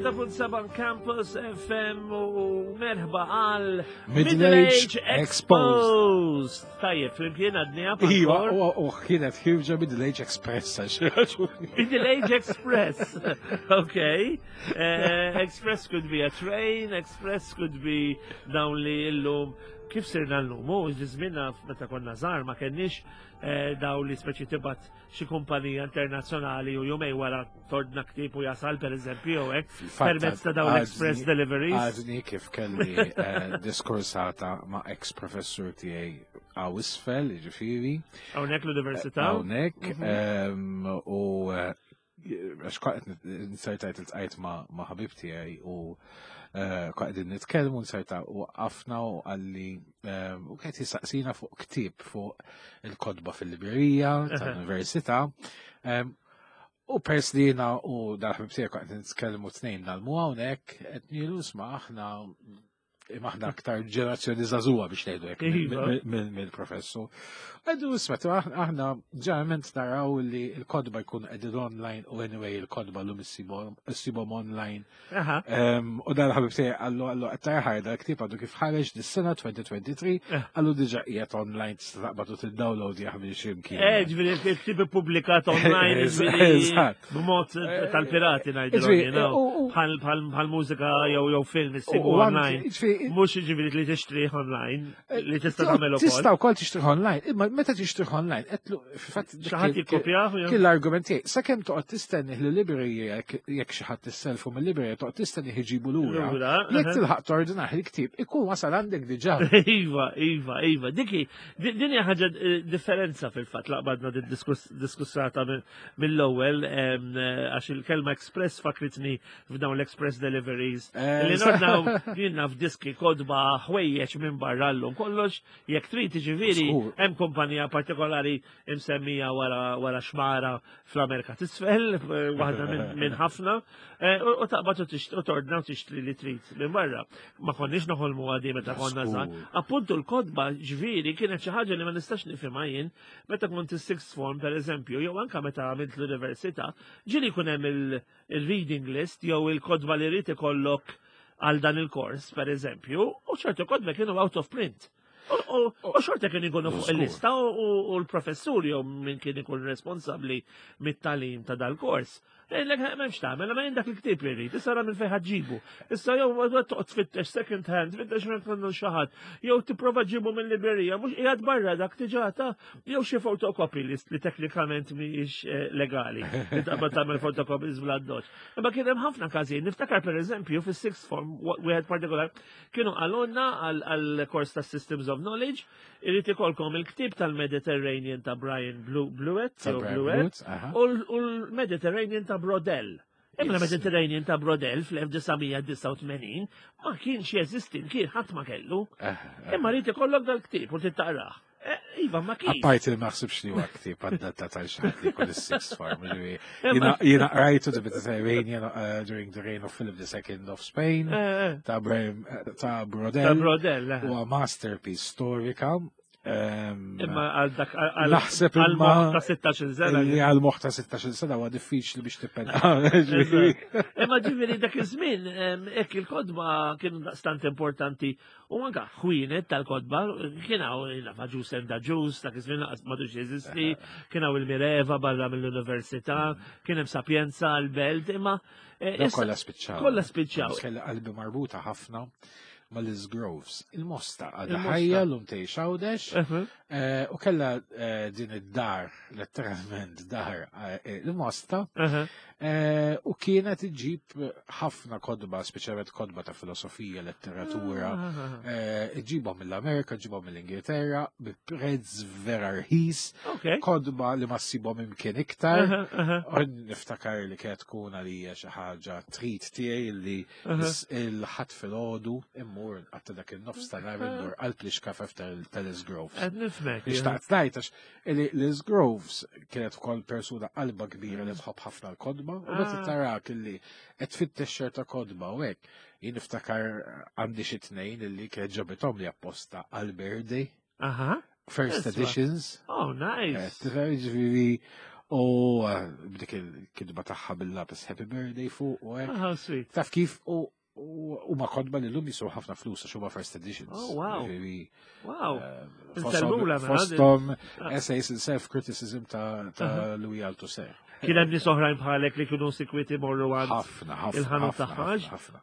103.7 Campus FM u merħba għal Middle Age Exposed. Tajjeb, flimkien għadni Iva, u kienet ħirġa Middle Age Express. Middle Age Express. Okay. Eh, Express could be a train, Express could be dawn li illum kif sirna l-lum, u ġizminna meta konna żgħar ma kenniex eh, daw li speċi tibat xi kumpanija internazzjonali u jumej wara tordna ktieb u jasal per eżempju jew hekk permezz ta' dawn l-express deliveries. Għadni kif kelli eh, diskursata ma' ex professur tiegħi għaw isfel, ġifieri. Hawnhekk l-università. Hawnhekk mhm. ehm, u eh, għax qed nsertajt il-tqajt ma' ħabib tiegħi u eh, qegħdin nitkellmu nserta u waqafna u qalli eh, u qed jistaqsina fuq ktieb fuq il-kotba fil-librerija tal-università. Eh, u pers li jiena u dal-ħabib tiegħi qed nitkellmu tnejn nagħlmu hawnhekk qed nilu sma' aħna imma aħna aktar ġenerazzjoni żagħżugħa biex ngħidu hekk iva. mill-professur. Għadu isma' aħna ġeneralment naraw li l-kodba jkun qegħdin online u anyway il-kodba llum issibhom online. U dan ħabib tiegħi qallu qallu qed tarħar dal-ktieb għadu kif ħareġ dis-sena 2023 eh. qallu diġà qiegħed online tista' taqbad u tiddownload jaħmel x'imkien. Eh, ġifieri il-ktieb ippubblikat online b'mod eh, tal-pirati ngħidu. Bħal mużika jew jew film issibu online. Mhux jiġifieri li tixtrih online, eh, li tista' tagħmel ukoll. Tista' wkoll tixtrih online, imma meta tixtrih online, qed fatt xi ħadd jikkopjah. Kien l-argument tiegħi, sakemm toqgħod tistenni li librerija jekk xi ħadd isselfu mill-librerija toqgħod tistenni iġibu lura. Jekk tilħaq tordinah il-ktieb ikun wasal għandek diġà. Iva, iva, iva. Diki, din hija ħaġa eh, differenza fil-fatt laqbadna diskussata mill-ewwel eh, għax il-kelma express fakritni f'dawn l-express deliveries. Eh, li nordnaw jinnna f'diski kodba ħwejjeġ minn barra llum kollox jekk trid jiġifieri hemm kumpanija partikolari imsemmija wara wara xmara fl-Amerika t'isfel, eh, waħda minn ħafna, u taqbad u tordna u tixtri li trid minn barra. Ma konniex noħolmu għadi meta konna żgħar. Appuntu l-kodba ġifieri kienet xi ħaġa li ma nistax nifhimha jien Meta kont is-sixth form, per eżempju, jew anka meta għamilt l-università, ġieli jkun hemm il-reading list jew il-kodba li rrid ikollok għal dan il-kors, per eżempju, u ċertu kodba kienu out of print. U xorta kien ikunu fuq il-lista u l-professur jew min kien ikun responsabbli mit-talim ta' dal-kors. Lek m'hemmx tagħmel, ma jien dak il-ktieb li rrid, issa ra minn fejn ħaġġibu. Issa jew toqgħod tfittex second hand, tfittex minn fejn xi ħadd, jew tipprova ġibu minn librerija, mhux qiegħed barra dak diġà ta' jew xi photocopy list li teknikament mhijiex eh, legali. Li taqbad tagħmel photocopies bla doċ. Imma kien hemm ħafna każijiet, niftakar pereżempju fis-sixth form wieħed partikolar kienu qalulna għall-kors ta' Systems of Knowledge Irrid ikolkom il-ktieb tal-Mediterranean ta' Brian Blewett, u l-Mediterranean ta' Brodell. Imma l-Mediterranean ta' Brodell fl-1989 ma kienx jeżisti, kien ħadd ma kellu. Eh, eh. Imma rrid ikollok dal-ktieb u tittaqrah. Eh, iva, ma kien. Apparti li maħsibx li huwa ktieb għadda ta' xaħat li kull is-sixth form. Jiena rajtu The Mediterranean during the reign of Philip II of Spain ta' ta' Brodell. Ta' Brodell. Huwa masterpiece storika. Imma għal dak għal naħseb imma ta' 16 sena. Li għal moħħ ta' 16 sena huwa diffiċli biex tippena. Imma ġifieri dak iż-żmien hekk il-kodba kienu daqstant importanti u anka ħwienet tal-kodba kien hawn nafa ġus enda ġus dak iż-żmien laqas m'għadux jeżisti, kien hawn il-Mireva barra mill-università, kien hemm Sapienza l-Belt, imma Eh, kollha spiċċaw. Kollha spiċċaw. Kella qalbi marbuta ħafna ma' Liz Groves. Il-mosta għadha ħajja l-lum tgħix Għawdex eh, u kella eh, din id-dar, letteralment dar il-mosta, u kienet iġib ħafna kodba, speċjalment kodba ta' filosofija, letteratura, ah, ah, ah. iġibhom mill-Amerika, iġibhom mill-Ingilterra, bi prezz vera rħis, kodba li ma ssibhom imkien iktar. U niftakar li kienet tkun għalija xi ħaġa trid tiegħi li il-ħadd filgħodu immur għatta dak il-nofs ta' nhar immur qalb li xkafef tal-Liz Groves. Qed nifhmek. Xtaqt ngħid għax li Liz Groves kienet ukoll persuna qalba kbira li tħobb ħafna l-kodba u meta ah. tarak li qed tfittex ċerta kodba u hekk jien niftakar għandi xi tnejn illi kienet ġabithom li apposta għal birthday. Aha. First editions. Oh, nice. Tifhem ġifieri. U b'dik il-kidba tagħha bil-lapis Happy Birthday fuq u hekk. Ah, how sweet. Taf kif u u ma kodba li l-lum jiswew ħafna flus għax huma first editions. Oh, wow. Ġifieri, Wow. Insellmula, mela, Fosthom essays in self-criticism ta' Louis Althusser. Kien hemm nies oħrajn bħalek li kienu sikwiti morru għand. Ħafna, ħafna. Il-ħanut ħafna, tagħha, ħafna, ħafna.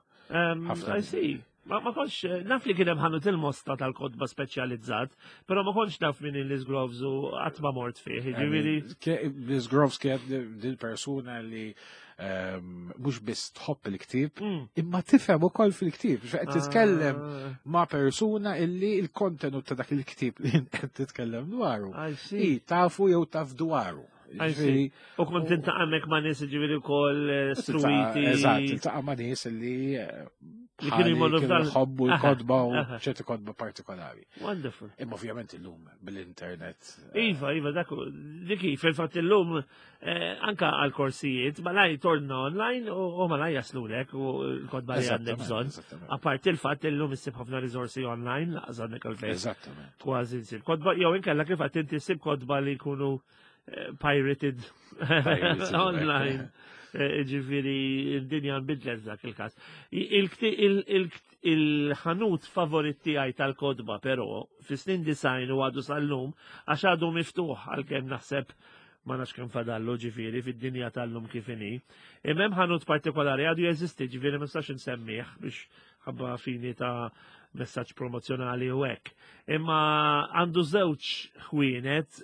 Ħafna. I see. Ma kontx, naf li kien hemm ħanut il-mosta tal-kotba speċjalizzat, però ma kontx naf min il-Liz Groves u qatt ma mort fih. Ġifieri, Liz Groves kienet dil persuna li mhux biss tħobb il-ktieb, imma tifhem ukoll fil-ktieb. Qed titkellem ma' persuna illi il-kontenut ta' dak il-ktieb li qed titkellem dwaru. I see. I tafu jew taf dwaru. I see. U kont tintaqa' hemmhekk ma' nies ġifieri wkoll struwiti. Eżatt, tiltaqa' ma' nies illi Li kienu jmorru bħali kienu f'dan- jħobbu l-kotba u ċerti kotba partikolari. Wonderful. Imma ovvjament illum bil-internet. Iva, iva, dak dik hi, fil-fatt illum anka għal-korsijiet, malaj torna online u malaj jaslulek u l-kotba li għandek bżonn. Apart il-fatt illum issib ħafna riżorsi online, laqas għandek għalfejn. Kważi nsib kotba, jew inkella kif għad inti ssib kotba li jkunu pirated Pirated, online. Ġifieri, d-dinja nbidlet dak il-każ. Il-ħanut favorit tiegħi tal-kotba, però, fi snin 90 u għadu sal-lum, għax għadu miftuħ għalkemm naħseb ma nafx kemm fadallu ġifieri fid-dinja tal-lum kif inhi. Imma hemm ħanut partikolari għadu jeżisti, ġifieri ma nistax insemmih biex ħabba fini ta' messaġġ promozjonali u hekk. Imma għandu żewġ ħwienet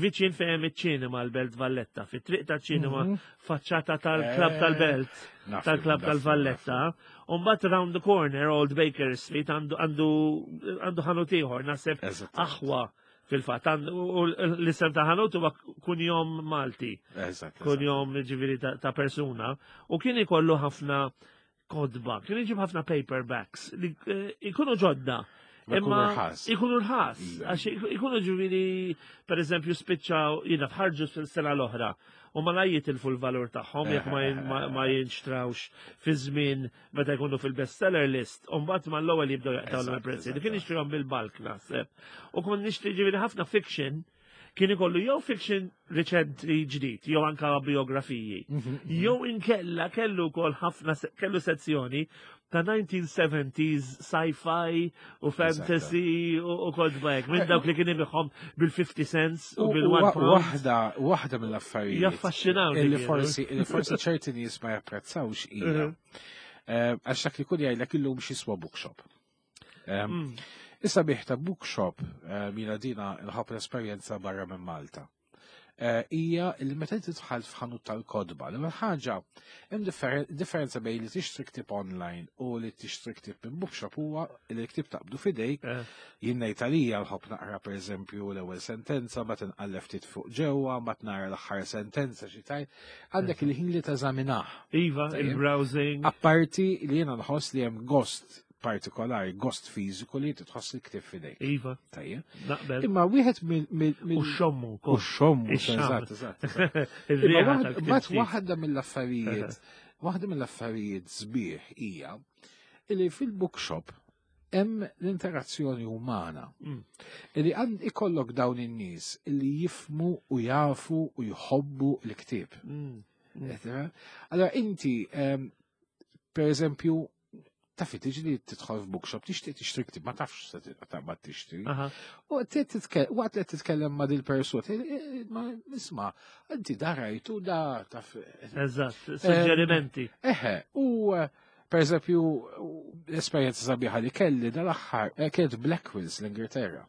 viċin fejn hemm iċ-ċinema l-Belt Valletta, fit-triq ta' ċinema faċċata tal-Klab tal-Belt, tal-Klab tal-Valletta. U mbagħad round the corner, Old Baker Street, għandu ħanut ieħor, naħseb aħwa fil-fatt, u l-isem ta' ħanut huwa kunjom Malti. Kunjom ġifieri ta' persuna. U kien ikollu ħafna kotba, kien iġib ħafna paperbacks li ikunu ġodda. Ma jkunu Imma rħas. ikunu rħas, Iva. għax ikunu ġifieri, per eżempju, spiċċaw, jiena fħarġu fil-sena l-oħra, u ma la jitilfu l-valur tagħhom jekk ma jinxtrawx fi żmien meta jkunu fil-bestseller list, u mbagħad mal-ewwel jibdew jaqtgħu l-prezzi. Kien jixtrihom bil-bulk naħseb. U kont nixtri ġifieri ħafna fiction, kien ikollu jew fiction riċenti ġdid, jew anka biografiji. Jew inkella kellu wkoll ħafna kellu sezzjoni ta' 1970s sci-fi u fantasy u kotba hekk, minn dawk li kien ibigħhom bil-50 cents u bil-1 pound. Waħda mill-affarijiet Jaffaxxinawni kienu. illi forsi ċerti nies ma japprezzawx hija. Għax dak li kun jgħidlek illum x'jiswa bookshop. Issa bih ta' bookshop, mina dina nħobb l-esperjenza barra minn Malta. Hija li meta tidħol f'ħanut tal-kotba, l-ewwel ħaġa hemm differenza bejn li tixtri ktieb online u li tixtri ktieb minn bookshop huwa li l-ktieb taqbdu f'idejk. Jien ngħid għalija nħobb naqra pereżempju l-ewwel sentenza, ma tinqallef ftit fuq ġewwa, ma tnara l-aħħar sentenza xi tajt, għandek il-ħin li teżaminah. Iva, Tajjeb. il-browsing. Apparti li jiena nħoss li hemm gost partikolari, gost fiżiku li titħoss li ktieb f'idejk. Iva. Tajjeb. Naqbel. Imma wieħed mill U xommu U xommu, Ix-xamm. eżatt, eżatt, eżatt. Ir-riħa Imma tal-ktieb mbagħad ġdid. waħda mill-affarijiet sbieħ hija li fil-bookshop hemm l-interazzjoni umana. Illi għand ikollok dawn in-nies illi jifmu u jafu u jħobbu l-ktieb. Qed tifhem? Allora inti, per eżempju, taf tiġi li tidħol f'bookshop, tixtieq tixtri ktieb, ma tafx se taqbad tixtri. U waqt li titkellem ma' dil-persuna, ma nisma', inti da rajtu da taf. Eżatt, suġġerimenti. Eħe, u per eżempju, l-esperjenza sabiħa li kelli dal-aħħar kienet Blackwells l-Ingilterra.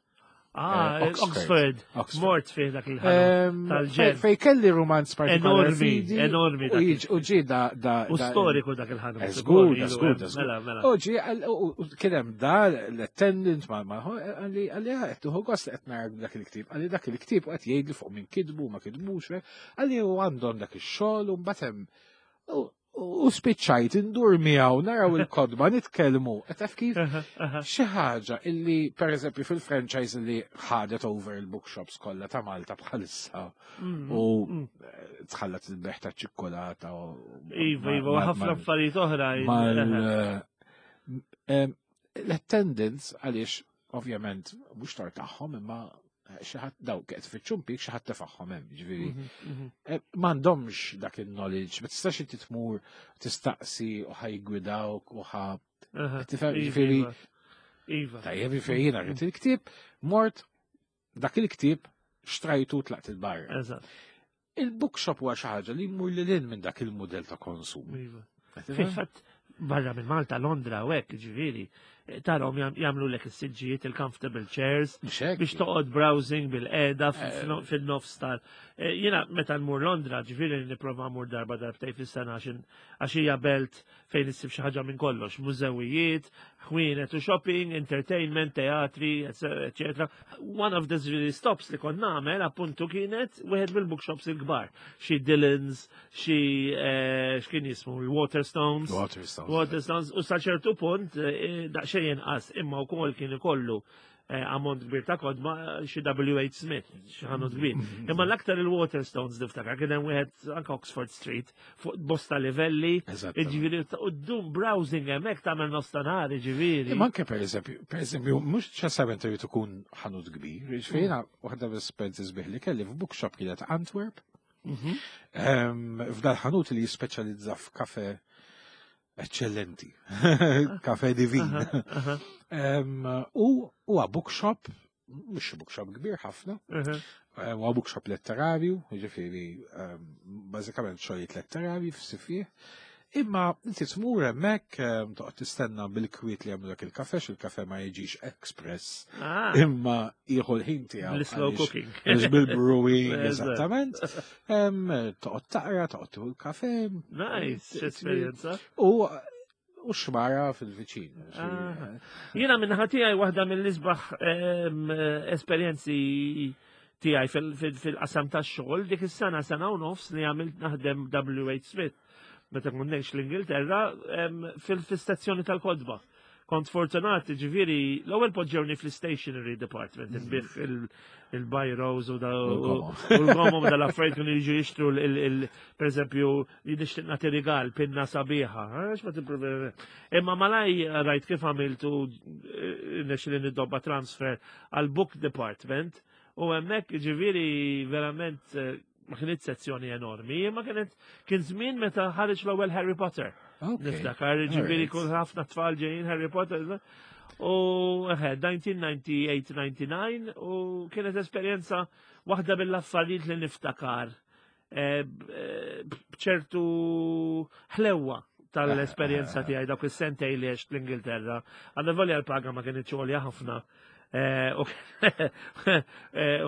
Oxford. Oxford. Oxford. Mort fih dak il-ħanut tal-ġen. Fej kelli romanz partikolari Enormi, fidi, enormi dak u ġi da, da, U da- storiku dak il-ħanut. Żgur, Ilu, żgur, żgur. Mela, mela. U ġi, u kien hemm da l-attendant ma għalli għalli qed tieħu gost li qed nara dak il-ktieb. Għalli dak il-ktieb u qed jgħidli fuq min kidbu ma kidbux, għalli u għandhom dak ix-xogħol u mbagħad hemm u spiċċajt indur miegħu naraw il-kotba nitkellmu. Qed taf kif? Xi ħaġa illi pereżempju fil-franchise li ħadet over il-bookshops kollha ta' Malta bħalissa u tħallat il-beħ ta' ċikkolata u Iva, iva, u ħafna affarijiet oħra. L-attendance għaliex ovvjament mhux tar tagħhom imma Xi ħadd daw qed tfittxu impjieg xi ħadd tefagħhom hemm, ġifieri. Eh, m'għandhomx dak il-knowledge, ma tistax inti tmur tistaqsi u ħa jiggwidawk u ħa tifhem Iva, ġifieri. Iva. Iva. Tajjeb ġifieri jiena rrid il-ktieb, mort dak il-ktieb xtrajtu tlaqt il-barra. Eżatt. Il-bookshop huwa xi ħaġa li jmur lil hinn minn dak il-mudell ta' konsum. Iva. Fil-fatt, barra minn Malta, Londra u hekk, ġifieri, tarahom jagħmlu lek is-siġġijiet, il-comfortable chairs, Mhux hekk. biex toqgħod browsing bil-qeda fil-nofs tal. Jiena meta nmur Londra, ġifieri nipprova mmur darba darbtej fis-sena għax hija belt fejn issib xi ħaġa minn kollox, mużewijiet, ħwienet u shopping, entertainment, teatri, eccetera. One of the really stops li kont nagħmel appuntu kienet wieħed mill-bookshops il-kbar, xi Dillon's, xi x'kien jismu, il-Waterstones. Waterstones. Waterstones, u sa ċertu punt daqsxejn inqas imma wkoll kien ikollu ammont kbir ta' kotba xi W.H. Smith, xi ħanut kbir. Imma l-aktar il-Waterstones niftakar kien hemm wieħed anke Oxford Street fuq bosta livelli, Eżattament. jiġifieri u ddum browsing hemmhekk tagħmel nofstanhar, jiġifieri. Imma anke per eżempju, mhux ċessament irid ikun ħanut kbir, jiġifieri jiena waħda mill-esperjenzi sbieħ li kelli f'bookshop kienet Antwerp, F'dal ħanut li jispeċjalizza f'kafe eccellenti, kafe divin. U huwa bookshop, mhux bookshop kbir ħafna, huwa bookshop letterarju, jiġifieri bażikament xogħlijiet letterarji f'sifih. Imma inti tmur hemmhekk toqgħod tistenna bil-kwiet li jagħmlu dak il-kafe, il-kafe ma jiġix express, imma jieħu l-ħin tiegħu. L-slow għaliex cooking. għaliex bil-brewing, Eżatt. eżattament. Toqgħod taqra, toqgħod tieħu l-kafe. Nice, esperjenza. U xmara fil-viċin. Jiena minn tiegħi waħda mill-isbaħ esperjenzi tiegħi fil-qasam tax-xogħol dik is-sena sena u nofs li għamilt naħdem W.H. Smith meta kont ngħix l-Ingilterra fil-istazzjoni tal-kotba. Kont fortunat, ġifieri, l-ewwel poġġewni fl-stationery department, nbigħ il-biros u l-gomom dal-affarijiet kienu jiġu jixtru per eżempju, nixtieq nagħti rigal, pinna sabiħa, għax ma tippruvi. Imma malaj rajt kif għamiltu nexli nidobba transfer għal book department u hemmhekk ġifieri verament ma kienet sezzjoni enormi, imma kienet kien żmien meta ħareġ l-ewwel Harry Potter. Niftakar, ġifieri kull ħafna tfal ġejjin Harry Potter. U 1998-99 u kienet esperjenza waħda mill-affarijiet li niftakar bċertu ħlewwa tal-esperjenza tiegħi dawk is-sentej li għext l-Ingilterra. Għandha volja l-paga ma kienx għolja ħafna.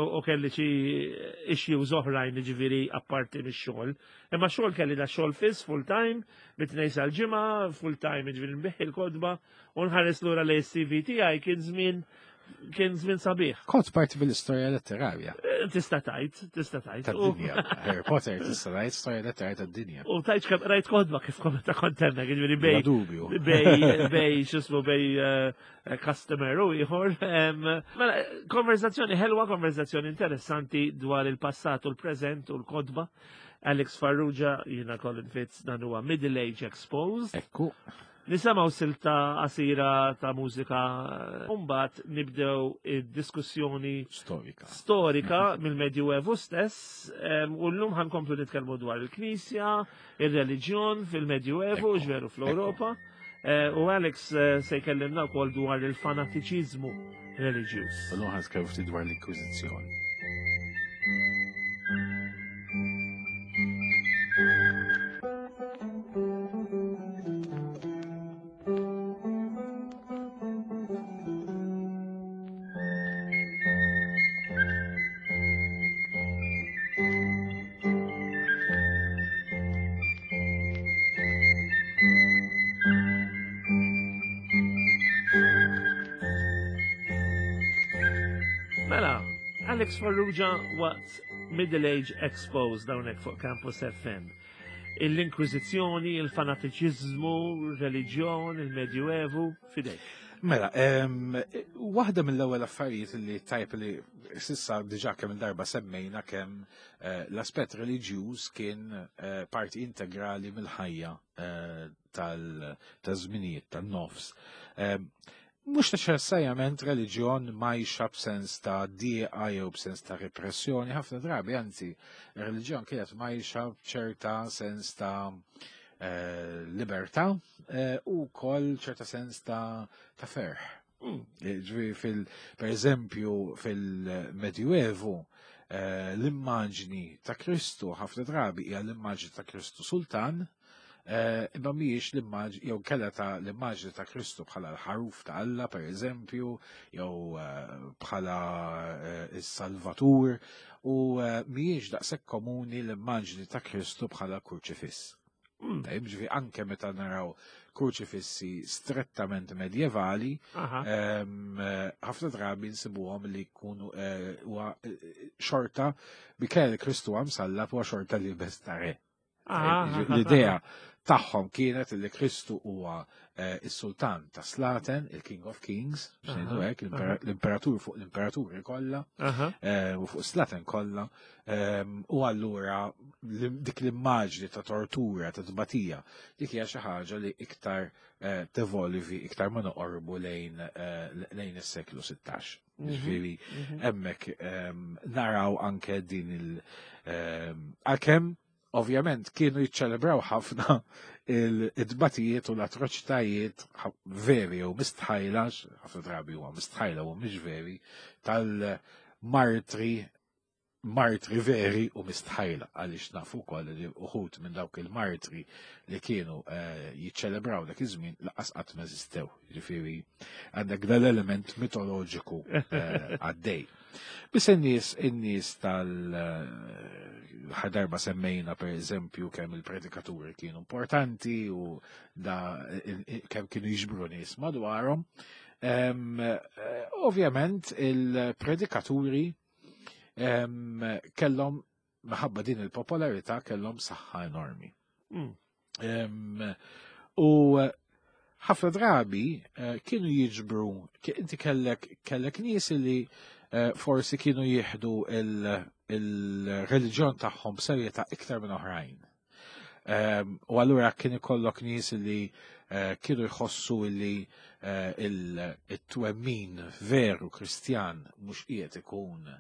U kelli xi issues oħrajn ġifieri apparti mix-xogħol. Imma xogħol kelli da xogħol fiss full time, mit-tnejn sal-ġimgħa, full time ġifieri nbigħ il-kotba u nħares lura li CV tiegħi kien żmien sabiħ. Kont parti mill-istorja letterarja. Tista' tajt, tista' tajt. Tad-dinja. Harry Potter tista' tajt storja letterarja tad-dinja. U tajt kemm rajt kotba kif kont ta' kont hemmhekk, ġifieri Bla dubju. bej x'ismu bej customer u ieħor. Mela, konverzazzjoni ħelwa, konverzazzjoni interessanti dwar il-passat u l-preżent u l-kotba. Alex Farrugia, jiena Colin Fitz, dan huwa Middle Age Exposed. Ekku. Nisimgħu silta qasira ta' mużika, mbagħad nibdew id-diskussjoni Storika. storika mill-Medjuevu stess, u llum ħa nkomplu nitkellmu dwar il-Knisja, il-reliġjon fil-Medjuevu, ġveru fl-Ewropa. U Alex se jkellimna wkoll dwar il-fanatiċiżmu reliġjuż. U llum ħa nitkellmu ftit dwar l-Inkwiżizzjoni. Mela, Alex Farrugia waqt Middle Age Exposed hawnhekk fuq Campus FM. L-Inkwiżizzjoni, il-fanatiċiżmu, il-reliġjon, il-Medjuevu, fidejk. Mela, waħda mill-ewwel affarijiet li tajb li s'issa diġà kemm darba semmejna kemm l-aspett reliġjuż kien parti integrali mill-ħajja tal-żminijiet tan-nofs. Mhux neċessarjament reliġjon mgħajxa b'sens ta' dieqa jew b'sens ta' repressjoni, ħafna drabi anzi, reliġjon kienet mgħajxa b'ċerta sens ta' eh, libertà eh, u wkoll ċerta sens ta' ta' ferħ. Eh, ġifieri fil, per eżempju, fil-Medjuevu, l-immaġni ta' Kristu ħafna drabi hija l-immaġni ta' Kristu Sultan, Eh, imma mhijiex l-immaġni jew kella ta' l-immaġni ta' Kristu bħala l-ħaruf ta' Alla pereżempju, jew eh, bħala eh, is-Salvatur, u mhijiex daqshekk komuni l-immaġni ta' Kristu bħala kurċifiss. Tajjeb, ġifieri anke meta naraw kurċifissi strettament medjevali, ħafna drabi nsibuhom li jkunu xorta bi kelli Kristu għam sallab huwa xorta li bestare. L-idea tagħhom kienet li Kristu huwa eh, is-sultan ta' Slaten, il-King of Kings, biex ngħidu hekk, l-imperatur fuq l-imperaturi kollha eh, u fuq Slaten kollha, ehm, u allura dik l-immaġni ta' tortura, ta' tbatija, dik hija xi ħaġa li iktar eh, tevolvi, iktar ma noqorbu lejn lejn is-seklu 16. Ġifieri hemmhekk ehm, naraw anke din il- ehm, għalkemm ovvjament kienu jiċċelebraw ħafna il-dbatijiet u l-atroċitajiet veri u mistħajla, ħafna drabi huwa mistħajla u mhix veri, tal-martri martri veri u mistħajla għaliex nafu wkoll li uħud minn dawk il-martri li kienu eh, jiċċelebraw dak iż-żmien laqas qatt ma eżistew. Ġifieri għandek dal-element mitoloġiku eh, għaddej. Biss in-nies in-nies tal ħadarba semmejna per eżempju kemm il-predikaturi kienu importanti u da kemm kienu jiġbru nies madwarhom. Eh, ovvjament il-predikaturi kellhom minħabba din il-popolarità kellhom saħħa enormi. U ħafna drabi eh, kienu jiġbru, inti kellek kellek nies li eh, forsi kienu jieħdu il-reliġjon tagħhom b'serjetà iktar minn oħrajn. U allura kien ikollok nies li eh, kienu jħossu li il-twemmin veru Kristjan mhux qiegħed ikun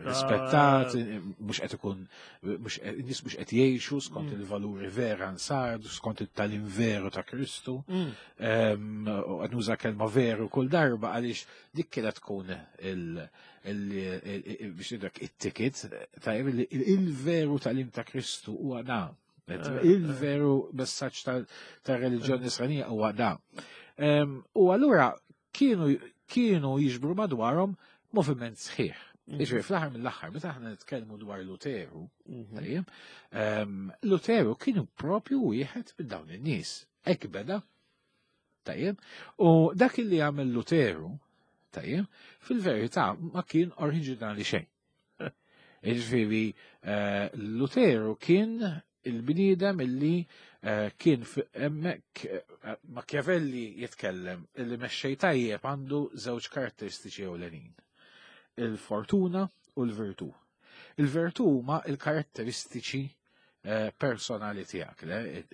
rispettat, mhux qed ikun nies mhux qed jgħixu skont il-valuri vera nsar, skont it-talim veru ta' Kristu. U qed nuża kelma veru kull darba għaliex dik kienet tkun il biex ngħidlek it-ticket tajjeb il-veru talim ta' Kristu huwa da. Il-veru messaġġ tar-reliġjon nisranija huwa da. U allura kienu kienu jiġbru madwarhom moviment sħiħ. Iġri, fl-aħħar mill-aħħar, meta aħna nitkellmu dwar Luteru, tajjeb, Luteru kienu propju wieħed minn dawn in-nies. Hekk beda, tajjeb, u dak li għamel Luteru, tajjeb, fil-verità ma kien oriġinali xejn. Iġifieri, eh, Luteru kien il-bniedem illi eh, kien hemmhekk eh, Machiavelli jitkellem illi mexxej tajjeb għandu żewġ karatteristiċi ewlenin. Il-fortuna u l-virtù. Il-virtù huma il-karatteristiċi eh, personali tiegħek,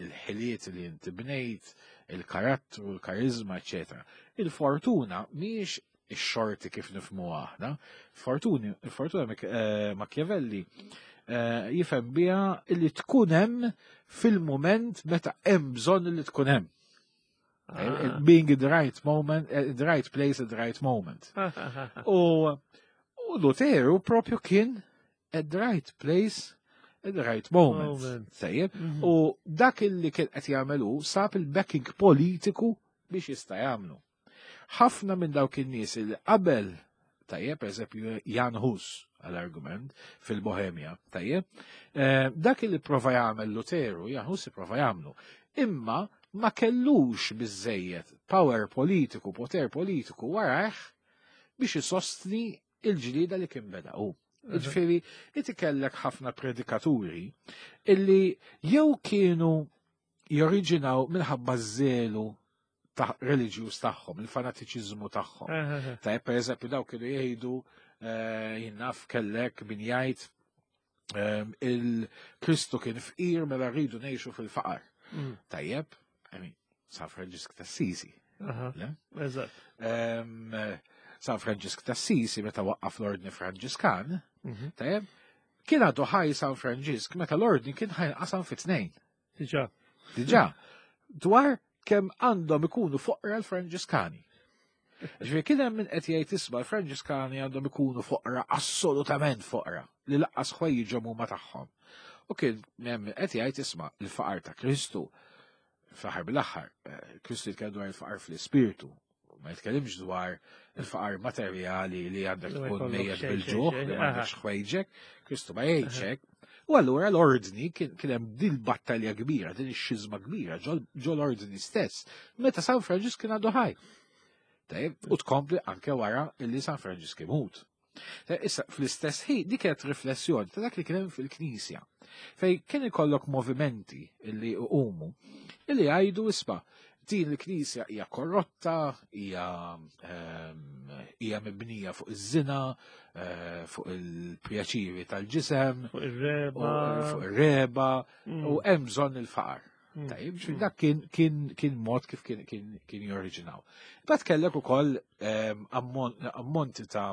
il-ħiliet li inti bnejt, il-karattru, il-karizma, eċetera. Il-fortuna mhijiex ix-xorti kif nifhmu aħna. Fortuni, il-fortuna eh, Machiavelli eh, jifhem biha li tkun hemm fil-mument meta hemm bżonn li tkun hemm. Eh, ah. Being in the right moment, in the right place at the right moment. U Luteru propju kien at the right place at the right moment. moment. Sejjeb. Mhm. U dak illi kien qed jagħmel hu sab il-backing politiku biex jista' jagħmlu. Ħafna minn dawk in-nies li qabel tajjeb, eżempju Jan Hus għal-argument fil-Bohemja, tajjeb, eh, dak li prova jagħmel Luteru, Jan Hus prova jagħmlu, imma ma kellux biżejjed power politiku, poter politiku warajh biex isostni il-ġlieda li kien beda hu. Ġifieri, inti kellek ħafna predikaturi illi jew kienu joriġinaw minħabba żelu ta' reliġjuż tagħhom, il-fanatiċiżmu tagħhom. Ta' per eżempju dawk kienu jgħidu eh, jinnaf kellek min jgħid ehm, il-Kristu kien fqir mela rridu ngħixu fil-faqar. Tajjeb, I mean, San Franġisk ta' Sisi. Eżatt. San Franġisk t'Assisi meta waqqaf l-Ordni Franġiskan, tajjeb, kien għadu ħaj San Franġisk meta l-Ordni kien ħajnqasam fi tnejn. Diġà. Diġà. Dwar kemm għandhom ikunu foqra l-Franġiskani. Ġifieri kien hemm min qed jgħid isma' l-Franġiskani għandhom ikunu foqra assolutament foqra li laqqas ħwejjiġhom huma tagħhom. U kien hemm min qed jgħid isma' l-faqar ta' Kristu fl-aħħar bil-aħħar, eh, Kristu jitkellem dwar il-faqar fl-ispirtu, ma jitkellimx dwar il-faqar materjali li għandek tkun mejjet bil-ġuħ, li m'għandekx ħwejġek, Kristu ma jgħidx hekk. U allura l-ordni kien hemm din battalja kbira, din ix-xiżma kbira ġol ordni stess, meta San Franġisk kien għadu ħaj. Tajjeb, u tkompli anke wara illi San Franġisk imut. Issa, fl-istess ħin, dik kienet riflessjoni ta' dak li kien hemm fil-Knisja. Fej kien ikollok movimenti illi umu, illi jgħidu isma' din il-Knisja hija korrotta, hija ehm, hija mibnija fuq iż-żina, eh, fuq il-pjaċiri tal-ġisem, fuq ir-reba, fuq ir-reba, mm. u hemm bżonn il-faqar. Mm. Tajib, mm. dak kien, kien, kien mod kif kien, kien, kien jorriġinaw. Bat kellek ukoll ehm, ammonti ta'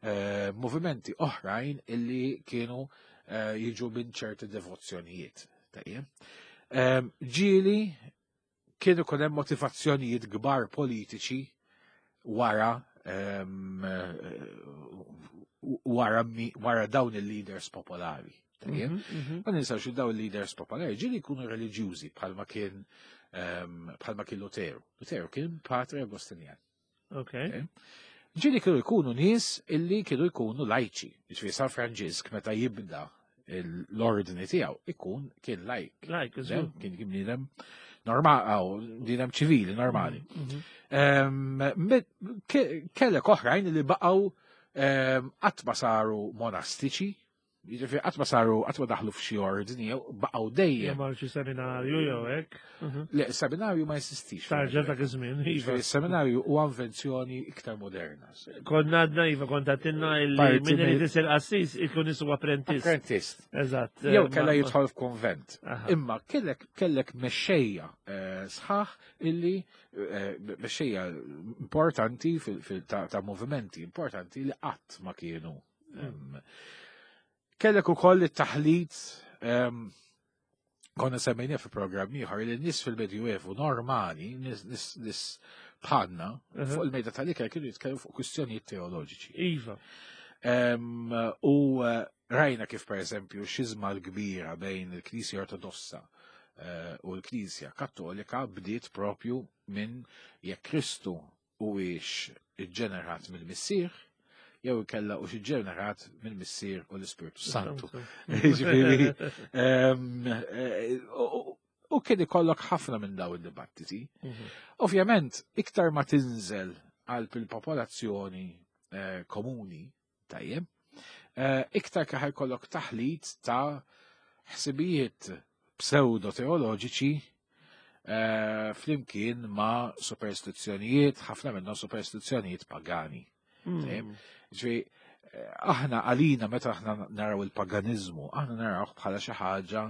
eh, movimenti oħrajn illi kienu eh, jiġu minn ċerti devozzjonijiet. Tajjeb. Ehm, ġieli kien ikun hemm motivazzjonijiet kbar politiċi wara ehm, eh, wara, wara dawn il-leaders popolari. Tajjeb? Mhm, mhm. Ma ninsawx li dawn il-leaders popolari ġieli jkunu reliġjużi bħalma kien ehm, bħalma kien Luteru. Luteru kien patri Agostinjan. Ok. Ġieli kienu jkunu nies illi kienu jkunu lajċi. Ġifieri San Franġisk meta jibda l-ordni tiegħu ikun kien lajk. Lajk, Kien kien bniedem normali, bniedem ċivili normali. Mhm, ehm, kellek oħrajn li baqgħu ehm, qatt ma saru monastiċi, Jiġifieri qatt ma saru qatt ma daħlu f'xi ordni jew baqgħu dejjem. Jew marru xi seminarju jew hekk. Mhm. Le, seminarju ma jesistix. Tarġa dak iż-żmien. Iva. Jiġifieri seminarju huwa invenzjoni iktar moderna. Konna għadna iva kont għatinna illi min irid isir qassis ikun isu apprentist. Apprentist. Eżatt. Jew kellha jidħol f'kunvent. Imma kellek kellek mexxejja eh, sħaħ illi eh, mexxejja importanti ta' movimenti importanti li qatt ma kienu Kellek ukoll it-taħlit konna semmejna fi programm ieħor li nies fil-Medjuevu normali, nies bħalna, fuq il-mejda tal-ikel kienu jitkellmu fuq kwistjonijiet teoloġiċi. Iva. U eh, rajna kif per eżempju xizma l-kbira bejn il-Knisja Ortodossa eh, u l-Knisja Kattolika bdiet propju minn jekk Kristu huwiex iġġenerat mill-Missier jew ikella hux iġġenerat mill-Missier u l-Ispirtu Santu. Ġifieri, ehm, eh, u kien ikollok ħafna minn daw id-dibattiti. Mhm. Ovvjament, iktar ma tinżel qalb il-popolazzjoni eh, komuni, Tajjeb. Eh, iktar kif ikollok taħlit ta' ħsibijiet pseudo-teoloġiċi eh, flimkien ma' superstizzjonijiet, ħafna minnhom superstizzjonijiet pagani. Hmm. Ġifieri, eh, aħna għalina meta aħna naraw il-paganiżmu, aħna narawh bħala xi ħaġa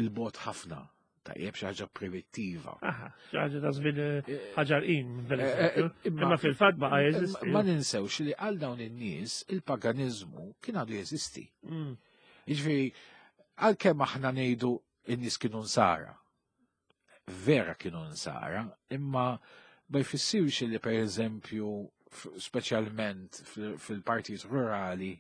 il-bot ħafna. Tajjeb xi ħaġa primittiva. Aha, xi ħaġa ta' żmien eh, eh, ħaġar qim, eh, imma fil-fatt baqa' jeżisti. Ma ninsewx li għal dawn in-nies il-paganiżmu kien għadu jeżisti. Mm. Jiġifieri għalkemm aħna ngħidu in-nies kienu nsara. Vera kienu nsara, imma ma jfissirx li pereżempju speċjalment fil-partijiet rurali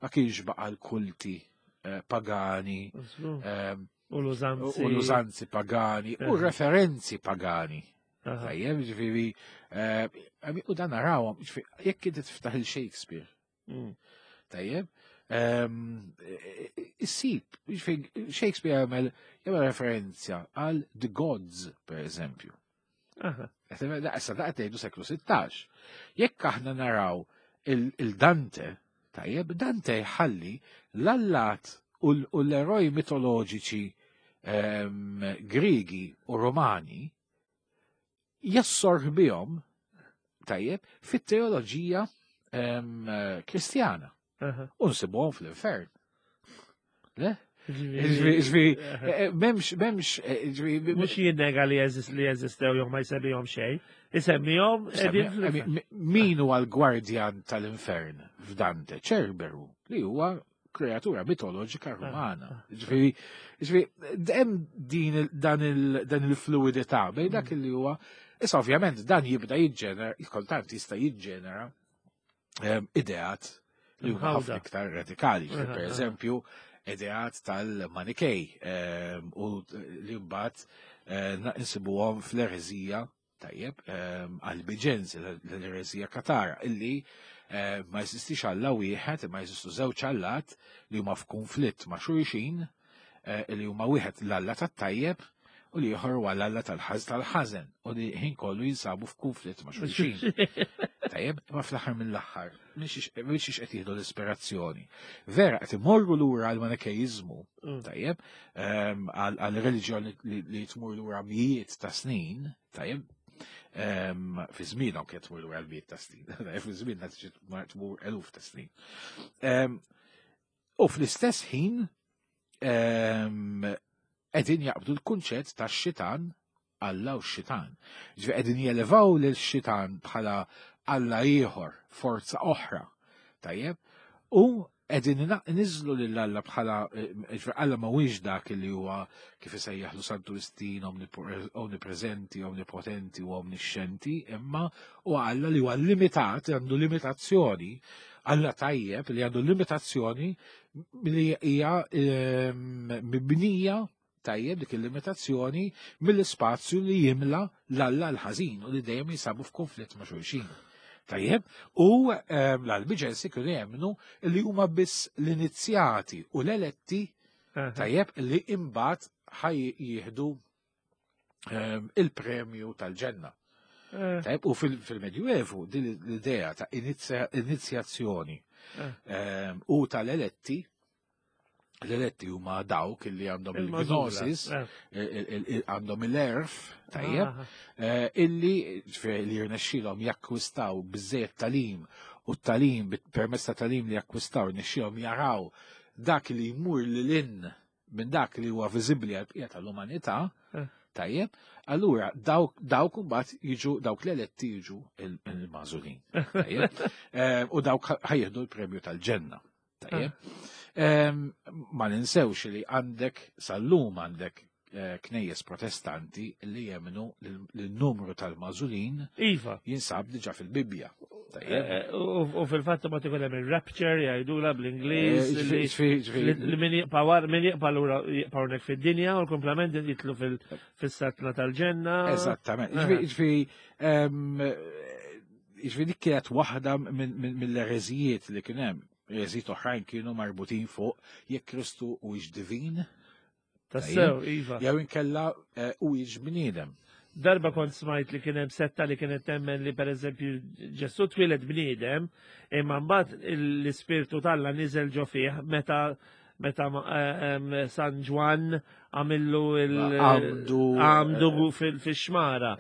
ma kienx baqa' l-kulti eh, pagani ehm, u l-użanzi u l-użanzi pagani u eh. referenzi pagani. Tajjeb, ġifieri, eh, u dan narawhom, ġifieri, jekk inti tiftaħ il-Shakespeare. Mm. Tajjeb, ehm, issib, ġifieri, Shakespeare jagħmel jagħmel referenza għal The Gods, per eżempju. Issa da qed ngħidu seklu 16. Jekk aħna naraw il-Dante, tajjeb, Dante jħalli l-allat u l-eroj mitoloġiċi ehm, Grigi u Romani jassorħ bihom tajjeb fit-teoloġija ehm, Kristjana. U nsibuhom fl-infern. Le? Ġifieri, eh, m'hemmx, m'hemmx, eh, ġifieri. Mhux jinnega li jeżist li jeżistew jew ma jsemmihom xejn, isemmihom qegħdin Min huwa l-gwardjan tal-infern f'Dante? Ċerberu, li huwa kreatura mitoloġika rumana. Ah. Ġifieri, ġifieri, hemm din dan il-fluidità bejn dak mm. li huwa. Issa ovvjament dan jibda jiġġenera, kultant jista' jiġġenera ehm, ideat li huma ħafna iktar radikali. Per eżempju, ideat tal-Manikej ehm, u li mbagħad eh, insibuhom fl-ereżija tajjeb ehm, għal-Biġenzi, l-ereżija Katara, illi eh, ma jeżistix Alla wieħed, ma jeżistu żewġ allat li huma f'kunflitt ma' xulxin, eh, li huma wieħed l-Alla tat-tajjeb u li ieħor huwa l-Alla tal-ħaż tal-ħażen u li ħin kollu jinsabu f'kunflitt ma' xulxin. Tajjeb, ma fl-aħħar mill-aħħar, minn xiex qed jieħdu l-ispirazzjoni. Vera qed imorru lura għal manikeiżmu, mm. tajjeb, ehm, għal reliġjon li tmur lura mijiet ta' snin, tajjeb, ehm, fi żmienhom kien tmur lura l-mijiet ta' snin, fi żmienna tmur eluf ta' snin. Ehm, U fl-istess ħin qegħdin jaqbdu l-kunċett tax-xitan Alla u x-xitan. Ġifieri qegħdin jelevaw lil xitan bħala Alla ieħor, forza oħra. Tajjeb? U qegħdin niżlu lil Alla bħala eh, ġifieri Alla ma huwiex dak li huwa kif isejjaħlu Santu Wistin omnipreżenti, omnipotenti u omnixxenti, imma huwa Alla li huwa limitat, għandu limitazzjoni Alla tajjeb li għandu limitazzjoni li hija ehm, mibnija tajjeb dik il-limitazzjoni mill-ispazju li jimla l-alla l-ħażin u li dejjem jinsabu f'konflitt ma' xulxin. Tajjeb, u ehm, l-albiġensi kienu jemmnu li huma biss l-inizjati u l-eletti tajjeb li imbagħad ħaj jieħdu Ehm, il-premju tal-ġenna. Eh. Tajb, u fil-Medjuevu din l-idea ta' inizjazzjoni eh. ehm, u tal-eletti, l-eletti huma dawk li għandhom il-gnosis, eh. għandhom il-erf, tajjeb, ah. illi li jirnexxilhom jakkwistaw biżejjed talim u t-talim permezz ta' talim li jakkwistaw jirnexxilhom jaraw dak li jmur lil minn dak li huwa viżibbli għal bqija tal-umanità, eh. tajjeb, allura dawk dawk imbagħad jiġu dawk l-eletti jiġu il-magħżulin. Tajjeb, eh, u dawk ħajjeħdu l-premju tal-ġenna. Tajjeb. Eh. Ma ninsewx li għandek sal-lum għandek knejjes protestanti li jemnu li n-numru tal-magħżulin iva. jinsab diġà fil-Bibbja. Eh, eh, u fil-fatt ma tikun hemm il-rapture jgħidula bl-Ingliż eh, li min jibqa' min jibqa' lura jibqa' hawnhekk fid-dinja u l-komplement jitlu fis-satna tal-ġenna. Eżattament. Ġifieri ehm, ġifieri dik kienet waħda mill-ereżijiet li kien hemm. Ereżijiet oħrajn kienu marbutin fuq jekk Kristu huwiex divin. Tassew, iva. Jew inkella eh, u jiġ bniedem. Darba kont smajt li kien hemm setta li kienet temmen li pereżempju Ġesù twieled bniedem, imma mbagħad l-ispirtu t'Alla niżel ġo fih meta meta eh, San Ġwann għamillu il-għamdu għamdu eh, fil-xmara.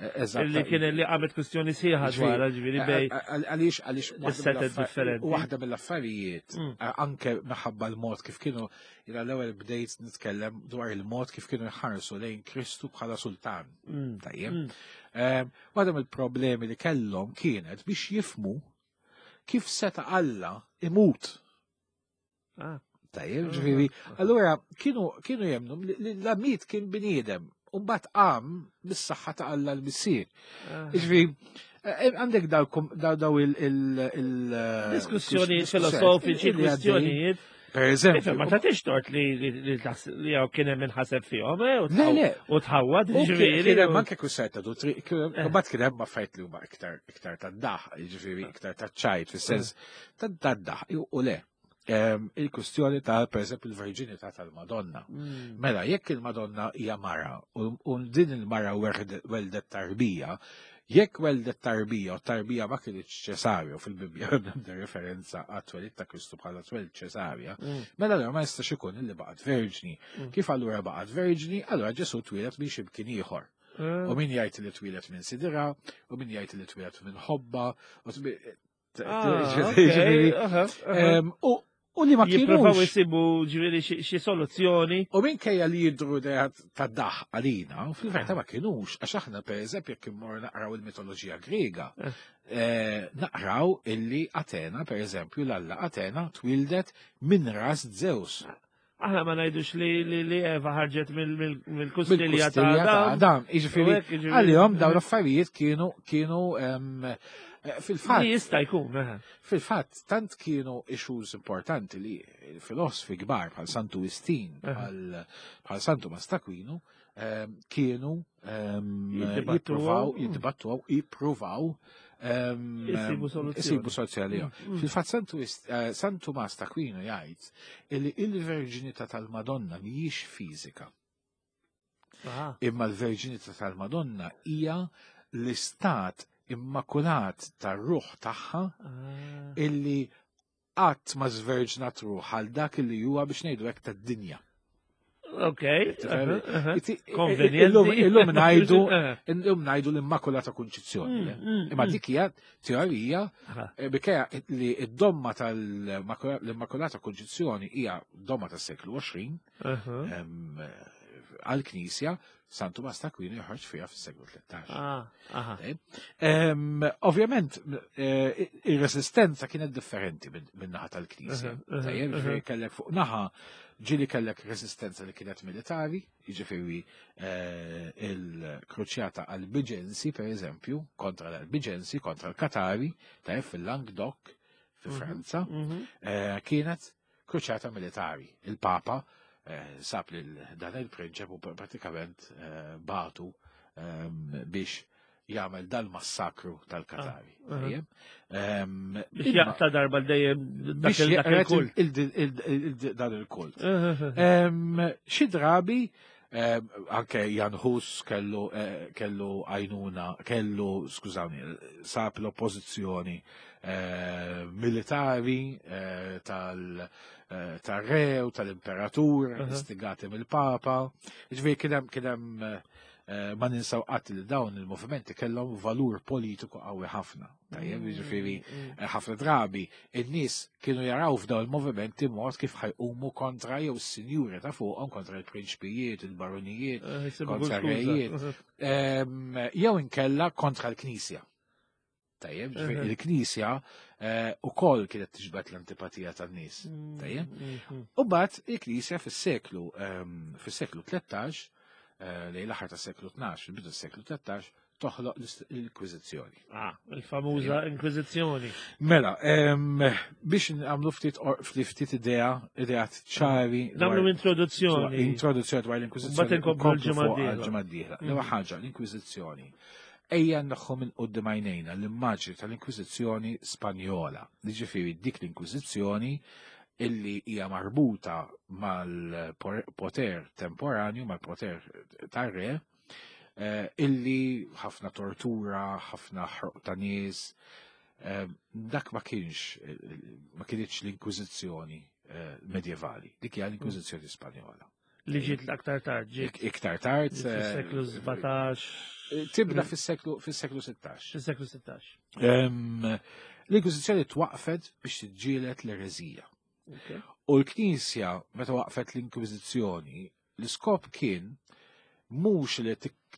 Li kien li għamet kwistjoni sħiħa dwar ġifieri bej. Għaliex għaliex waħda mill-affarijiet anke minħabba l-mod kif kienu Jina l-ewwel bdejt nitkellem dwar il-mod kif kienu jħarsu lejn Kristu bħala sultan. Mm. Tajjeb. Mm. Ehm, waħda mill-problemi li kellhom kienet biex jifmu kif seta' Alla imut. Ah. Tajjeb, ah. ġifieri, allura kienu kienu jemnu li l-amit kien bniedem u mbagħad qam bis-saħħa ta' Alla l-Missier. Ah. Ġifieri, eh, għandek daw il- Diskussjoni filosofiċi, kwistjonijiet. Per eżempju. Ma tagħtix tort li li jew kien hemm inħaseb fihom, eh, u Le, u tħawwad ġifieri. Kien hemm anke kwistjoni ta' dottri, mbagħad kien hemm affarijiet li huma iktar iktar tad-daħ, jiġifieri iktar taċ-ċajt fis-sens tad-daħ u le. Ehm, il-kwistjoni ta' per eżempju il-verġinità tal-Madonna. Mm. Mela, jekk il-Madonna hija mara u din il-mara weldet tarbija, Jekk weldet tarbija u tarbija ma kinitx ċesarju fil-Bibbja hemm referenza għat-twelid ta' Kristu bħala twelid ċesarja, mm. mela allura ma jistax ikun illi baqgħet verġni. Mm. Kif allura baqgħet verġni, allura Ġesu twieled minn xi mkien ieħor. Mm. U min jgħid li twieled minn sidira, u min jgħid li twieled minn ħobba, u ah, U U li ma Jippruvaw isibu ġifieri xi soluzzjoni. U minkejja li jidru idejat ta' daħ għalina, fil-verità ma kienux, għax aħna pereżempju jekk immorru naqraw il-mitoloġija Griega, eh. Eh, naqraw illi Atena, pereżempju, l-alla Atena twildet minn ras Zeus. Aħna ma ngħidux li li Eva ħarġet mill-kustilja ta' Adam. Adam, jiġifieri għalihom dawn l-affarijiet kienu kienu eh, fil-fatt. Jista' jkun. Eh. Fil-fatt, tant kienu issues importanti li filosfi kbar bħal Santu Wistin, bħal Santu Mastakwinu, kienu jippruvaw, jiddibattu, jippruvaw Isibu soluzzjoni. Mm, mm. Fil-fatt eh, San Tumas ta' Aquino jgħid li il-verġinità tal-Madonna mhijiex fiżika. Imma l-verġinità tal-Madonna hija l-istat immakulat tar-ruħ tagħha ah. illi qatt ma żverġnat ruħ għal dak li huwa biex ngħidu hekk tad-dinja. Ok. Illum ngħidu illum ngħidu l-Immakulata Kunċizzjoni. Mm, mm, Imma mm. dik hija teorija eh, bikeja li d-domma tal-Immakulata Kunċizzjoni hija domma tas-seklu 20 għall-Knisja San Tumas ta' Aquino joħroġ fiha fis-seklu 13. Ah, Ovvjament, eh, ir-resistenza kienet differenti minn naħa tal-Knisja. Tajjeb, ġifieri kellek fuq naħa ġieli kellek resistenza li kienet militari, jiġifieri eh, il-kruċjata Albigensi, per eżempju, kontra l-Albigensi, kontra l-Katari, tajjeb fil-Languedoc, fi mhm, Franza, mhm. eh, kienet kruċjata militari. Il-Papa eh, sab lil dan il-prinċep u pratikament eh, batu ehm, biex jagħmel dal-massakru tal-Katari. Ah, ehm, biex jaqta darba dejjem dak il-kult. Dan il-kult. Ehm, xi drabi anke Jan Hus kellu eh, kellu għajnuna, kellu, skużawni, sab l-oppożizzjoni eh, militari eh, tal-re u tal-imperatur, istigati mill-papa. Ġifieri kien hemm kien hemm ma ninsaw qatt li dawn il-movimenti kellhom valur politiku qawwi ħafna. Tajjeb, mm, jiġifieri mm, mm. Eh, ħafna drabi in-nies kienu jaraw f'dawn il-movimenti mod kif ħajqumu kontra jew is-sinjuri ta' fuqhom kontra l-prinċpijiet, il-baronijiet, eh, kontra r-rejiet, ehm, jew inkella kontra l-Knisja. Tajjeb, ġifieri il-Knisja eh, ukoll kienet tiġbed l-antipatija tan-nies. Tajjeb. U bat il-Knisja fis-seklu ehm, fis-seklu 13 lejn l-aħħar tas-seklu 12, il-bidu tas-seklu 13, toħloq l-Inkwiżizzjoni. Ah, il-famuża Inkwiżizzjoni. Mela, biex nagħmlu ftit ftit idea, idea ċari. Nagħmlu introduzzjoni. Introduzzjoni dwar l-Inkwiżizzjoni. Mbagħad inkomplu l-ġimgħa d-dieħla. L-ewwel mm. ħaġa, l-Inkwiżizzjoni. Ejja naħħu minn qudiem għajnejna l-immaġni tal-Inkwiżizzjoni Spanjola. Jiġifieri dik l-Inkwiżizzjoni illi hija marbuta mal-poter temporanju, mal-poter tar-re, Eh, illi ħafna tortura, ħafna ħroq ta' nies, eh, dak ma kienx ma kienx l-Inkwiżizzjoni eh, medjevali, dik hija l-Inkwiżizzjoni Spanjola. Li ġiet l-aktar tard, ġiet. Iktar tard. Fis-seklu 17. Tibda fis-seklu fis-seklu 16. Fis-seklu 16. L-Inkwiżizzjoni twaqfet biex tiġġieled l-ereżija. U l-Knisja, meta waqfet l-Inkwiżizzjoni, L-iskop kien mhux li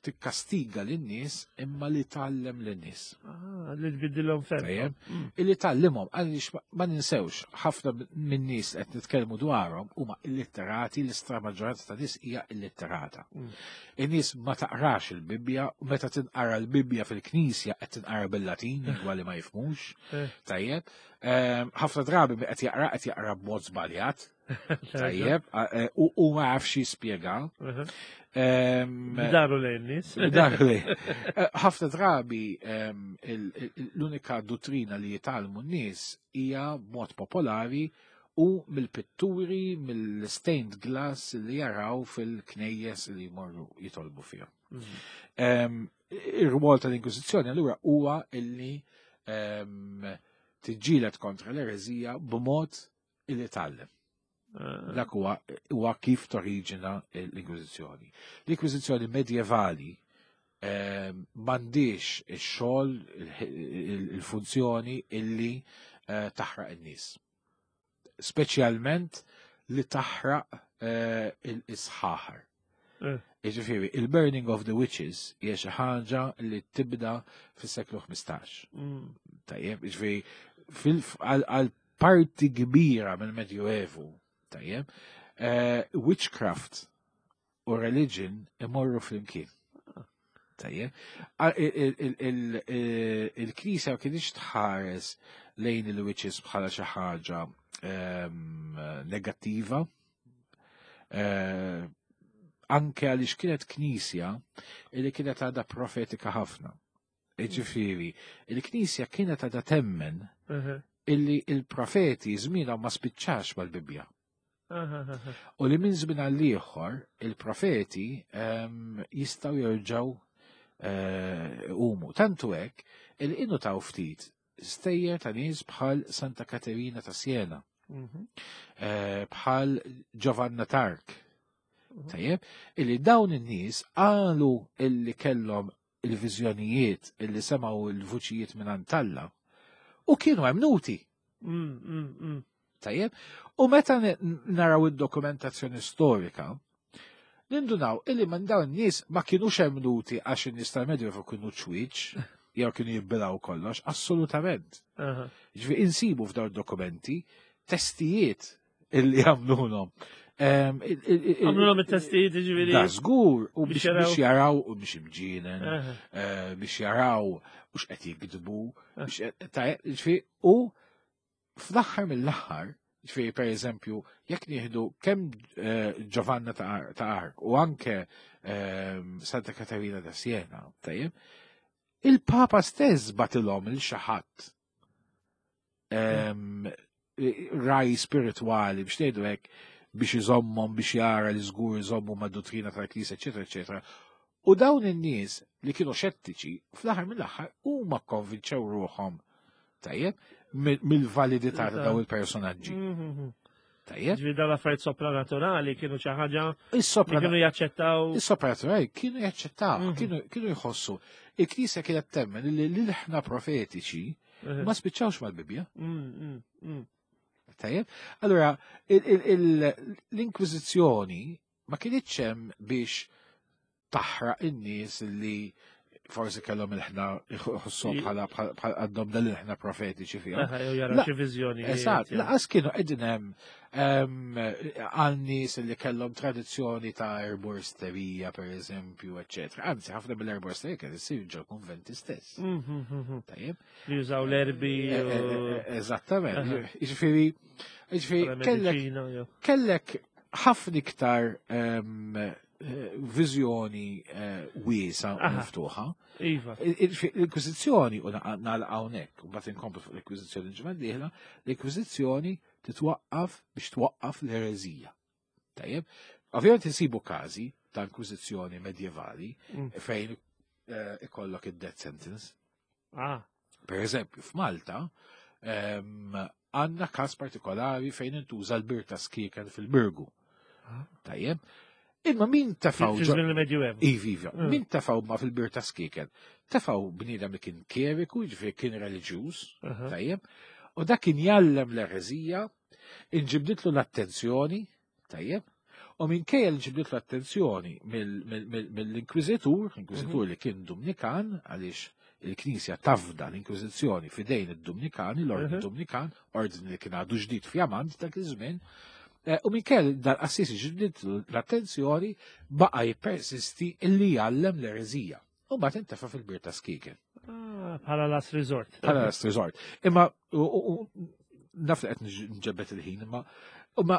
tikkastiga lin-nies imma li tgħallem lin-nies. Ah, li tbiddilhom ferm. Mm. Illi tgħallimhom għaliex ma ninsewx ħafna min-nies qed nitkellmu dwarhom huma illitterati, l-istra maġġoranza ta' nies hija illitterata. Mm. In-nies ma taqrax il-Bibbja, u meta tinqara l-Bibbja fil-Knisja qed tinqara bil-Latin, lingwa li ma jifhmux. Eh. Tajjeb. Ehm, ħafna drabi qed jaqra qed jaqra b'mod żbaljat. Tajjeb, e, u ma jafx jispjega. Daru lejn nies. Daru lejn. E, ħafna drabi l-unika dottrina li jitalmu n-nies hija b'mod popolari u mill-pitturi, mill-stained glass li jaraw fil-knejjes li jmorru jitolbu fihom. Mhm. Ir-rwol tal-Inkwiżizzjoni allura huwa illi tiġġieled kontra l-ereżija b'mod illi tgħallem. Eh. Dak huwa huwa kif toriġina l-Inkwiżizzjoni. L-Inkwiżizzjoni medjevali eh, m'għandix ix-xogħol il-funzjoni illi eh, taħraq in-nies. Speċjalment li taħraq il-sħaħar. Jiġifieri, il-Burning of the Witches hija xi ħaġa li tibda fis-seklu 15. Tajjeb, jiġifieri għal parti kbira mill-Medjuevu, tajjeb, witchcraft u religion imorru flimkien. Tajjeb, il-Knisja ma kienx tħares lejn il-witches bħala xi ħaġa negattiva, anke għaliex kienet knisja li kienet għadha profetika ħafna. Ġifieri, il-knisja kienet għadha temmen illi il-profeti żmienhom ma spiċċax mal-Bibbja. U li minn żmien għal ieħor il-profeti jistgħu jerġgħu umu. Tantu hekk il innu taw ftit stejjer ta' nies bħal Santa Katerina ta' Siena, bħal Giovanna Tark. Tajjeb, illi dawn in-nies qalu illi kellhom il-viżjonijiet illi semgħu il-vuċijiet minn Alla u kienu emmnuti. Tajjeb, u meta naraw id-dokumentazzjoni storika, nindunaw illi minn dawn in-nies ma kienux emmnuti għax in-nies tal-Medjuevu kienu ċwieċ, jew kienu jibbilaw kollox, assolutament. Ġifieri insibu f'dawn dokumenti testijiet illi għamlulhom. Għamlulhom it-testijiet ġifieri. Da żgur u biex jaraw u biex imġienen, biex jaraw u x'qed jikdbu, ġifieri u fl-aħħar mill-aħħar, ġifieri per eżempju, jekk nieħdu kemm Giovanna ta' Arc u anke Santa Katarina da Siena, tajjeb, il-Papa stess batilhom il xi ħadd raj spiritwali biex ngħidu hekk biex iżommhom biex jara li żgur iżommu mad-dottrina tal-Knisja, eċetera, eċetera. U dawn in-nies li kienu xettiċi, fl-aħħar mill-aħħar huma konvinċew ruħhom tajjeb mill-validità ta' dawn il-personaġġi. Tajjeb. Ġifieri dawn l-affarijiet sopranaturali kienu xi ħaġa li kienu jaċċettaw. Is-sopranaturali kienu jaċċettaw, kienu jħossu. Il-Knisja kienet temmen li l-ħna profetiċi ma spiċċawx mal-Bibbja. Tajjeb. Allura, l-Inkwiżizzjoni ma kienitx hemm biex taħraq in-nies li forsi kellhom il-ħna jħossuhom bħala għandhom dan il-ħna profetiċi fihom. Jara xi viżjoni. Eżatt, laqas kienu qegħdin hemm għal nies li kellhom tradizzjoni ta' erboristerija pereżempju, eċċetera. Anzi, ħafna mill-erboristerija kien issir ġo konventi stess. Tajjeb. Li jużaw l-erbi. Eżattament. Jiġifieri, kellek ħafna iktar viżjoni wiesa u miftuħa. Iva. L-Inkwiżizzjoni, u nagħlaq hawnhekk, u mbagħad inkomplu fuq l-Inkwiżizzjoni ġimgħa d-dieħla, l-Inkwiżizzjoni titwaqqaf biex twaqqaf l-ereżija. Tajjeb, ovvjament insibu każi ta' Inkwiżizzjoni medjevali fejn ikollok id-death sentence. Per eżempju, f'Malta għandna każ partikolari fejn intuża l-bir ta' skieken fil-Birgu. Tajjeb, imma min tefaw Fi żmien il-Medjuevu. Ivi, ivi. Min tefaw ma fil-bir ta' skieken? Tefaw bniedem li kien kjeriku, jiġifieri kien reliġjuż, tajjeb, u dak kien jgħallem l-ereżija, inġibditlu l-attenzjoni, tajjeb, u minkejja li ġibditlu l-attenzjoni mill-inkwiżitur, inkwiżitur li kien Dumnikan, għaliex il-Knisja tafda l-Inkwiżizzjoni fidejn id-Dumnikani, l-Ordni Dumnikan, ordni li kien għadu ġdid fjamant dak iż-żmien, u minkejja dal-qassis ġibditlu l-attenzjoni baqa' jippersisti illi jgħallem l-ereżija. U mbagħad intefa' fil-bir ta' skieken. Bħala last resort. Bħala last resort. Imma naf li qed nġebbet il-ħin, imma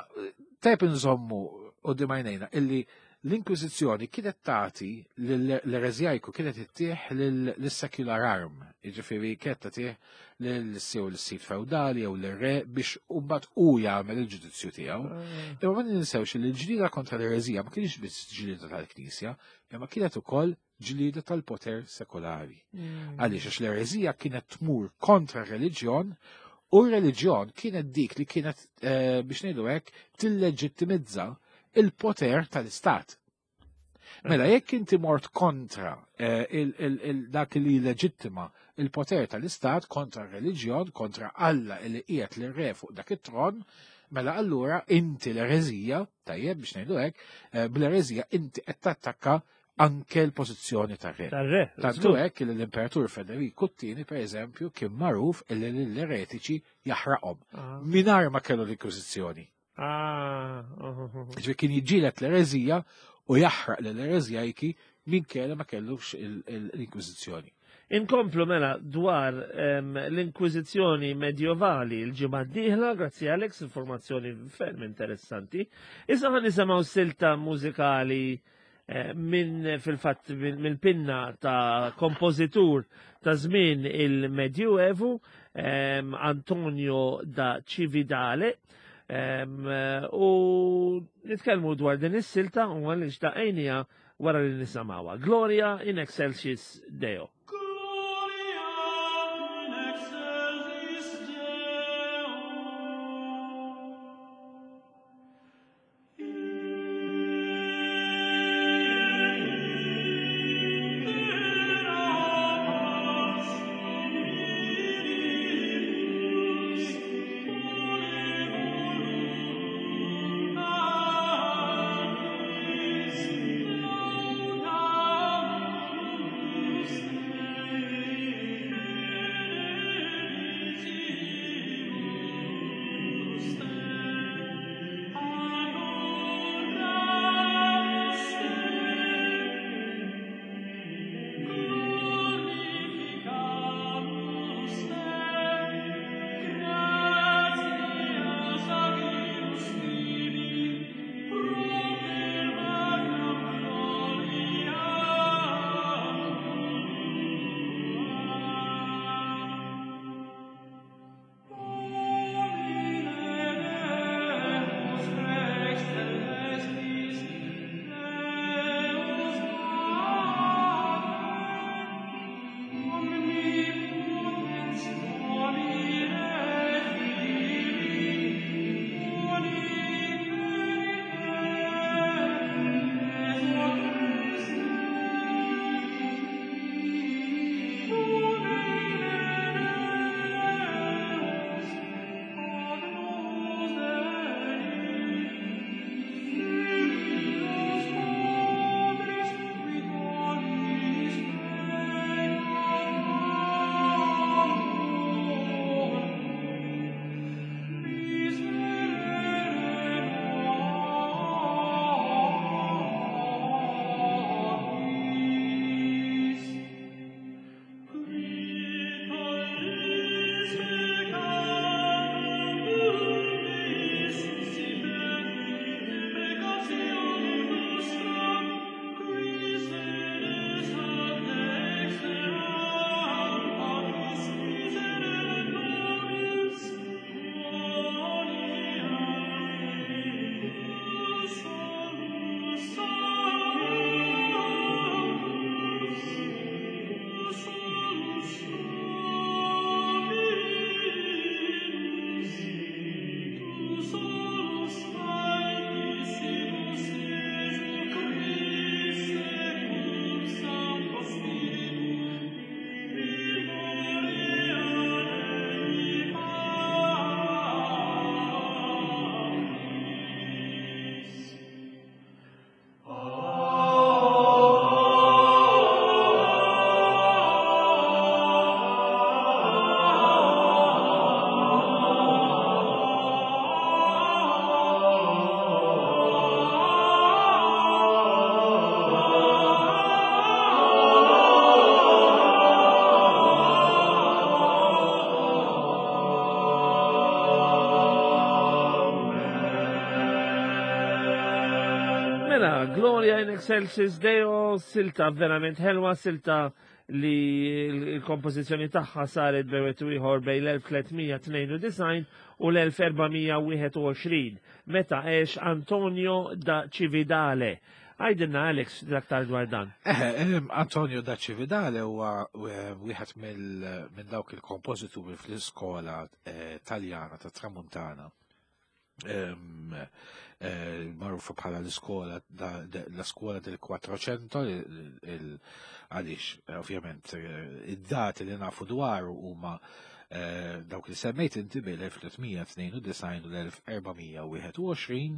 tajb inżommu quddiem għajnejna illi l-Inkwiżizzjoni kienet tagħti l-ereżjajku kienet ittieħ lis-secular arm, jiġifieri kienet tagħtih lil-sew l-sit feudali jew l-re biex mbagħad hu jagħmel il-ġudizzju tiegħu. Imma ma ninsewx li l-ġlieda kontra l-ereżija ma kienx biss ġlieda tal-Knisja, imma kienet ukoll ġlieda tal-poter sekolari. Għaliex għax l-ereżija kienet tmur kontra r-reliġjon u r-reliġjon kienet dik li kienet biex ngħidu hekk tilleġittimizza il-poter tal-istat. Mela jekk inti mort kontra dak li leġittima il-poter tal-istat kontra r-reliġjon, kontra Alla li qiegħed l-re fuq dak it-tron, Mela allura inti l-ereżija, tajjeb biex ngħidu hekk, eh, bl-ereżija inti qed tattakka anke l-pożizzjoni tar-re. Tar-re. Tantu hekk li l-Imperatur Federiku t-tieni pereżempju kien magħruf illi l-eretiċi jaħraqhom ah. mingħajr ma kellu l-Inkwiżizzjoni. Ah, oh, oh, oh. Ġifieri kien jiġġieled l-ereżija u jaħraq l-ereżjajki minkejja ma kellux l-Inkwiżizzjoni. Inkomplu mela dwar l-Inkwiżizzjoni medjovali l-ġimgħa d-dieħla, grazzi Alex, informazzjoni ferm interessanti. Issa ħan nisimgħu silta mużikali eh, minn fil-fatt mill-pinna ta' kompożitur ta' żmien il-Medjuevu, Antonio da Cividale, u nitkellmu dwar din is-silta u għaliex daqajnija wara li nisamawha. Gloria in excelsis Deo. Mela, Gloria in Excelsis Deo, silta verament ħelwa, silta li l-kompożizzjoni tagħha saret bejn ieħor bejn l-1392 u l-1421 meta għex Antonio da Cividale. Għajdilna Alex l-aktar dwar dan. Eh, Antonio da Cividale huwa eh, wieħed minn dawk il-kompożituri fl-iskola eh, Taljana ta' Tramuntana. Magħrufa bħala l-iskola la skola del Quattrocento għaliex ovvjament id-dati li nafu dwaru huma dawk li semmejt inti bil-1392 u l-1421.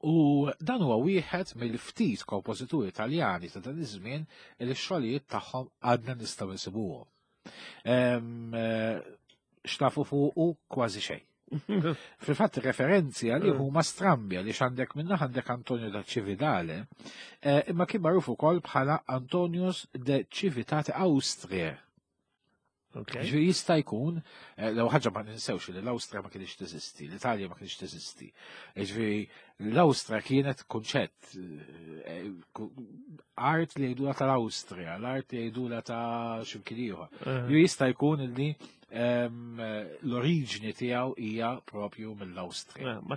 U dan huwa wieħed mill-ftit kompożituri Taljani ta' dan iż-żmien li x-xogħlijiet tagħhom għadna nistgħu nsibuhom. X'tafu fuqu kważi xejn. Fil-fatt referenzi għalih huma strambi għaliex għandek minna għandek Antonio da Cividale, imma kien magħruf ukoll bħala Antonius de Civitate Austriae. Ġifieri jista' jkun, l ħaġa ma ninsewx li l-Awstrija ma kienx teżisti, l-Italja ma kienx teżisti. Ġifieri l-Awstrija kienet kunċett, art li jgħidula tal-Awstrija, l-art li jgħidula ta' x'imkien ieħor. Ju jista' jkun li l-oriġni tiegħu hija propju mill-Awstrija. Ma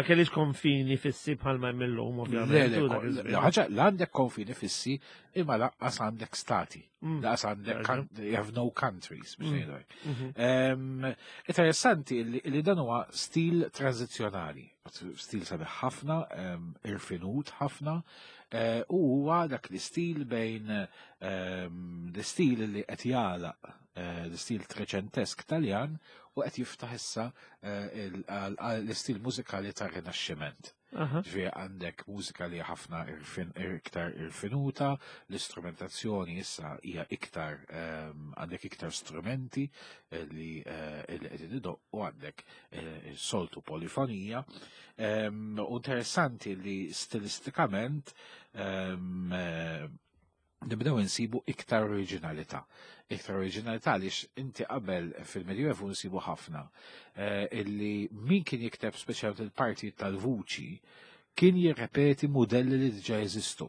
kellix konfini fissi bħalma hemm illum, ovvjament. Le, le, le, ħaġa, l għandek konfini fissi imma lanqas għandek stati. Lanqas għandek you have no countries, biex ngħidu hekk. Interessanti li dan huwa stil tranzizzjonali, stil sabiħ ħafna, irfinut ħafna, u huwa dak l-istil bejn l-istil li qed jagħlaq l-istil treċentesk Taljan u qed jiftaħ issa l-istil mużikali tar-Rinaxximent. Ġifieri għandek mużika li ħafna iktar irfinuta, l-istrumentazzjoni issa hija iktar, għandek iktar strumenti li qegħdin idoqqu, għandek soltu polifonija. U interessanti li stilistikament nibdew insibu iktar oriġinalità. Iktar oriġinalità għaliex inti qabel fil-Medjuevu nsibu ħafna illi min kien jikteb speċjalment il-parti tal-vuċi kien jirrepeti modelli li diġà jeżistu.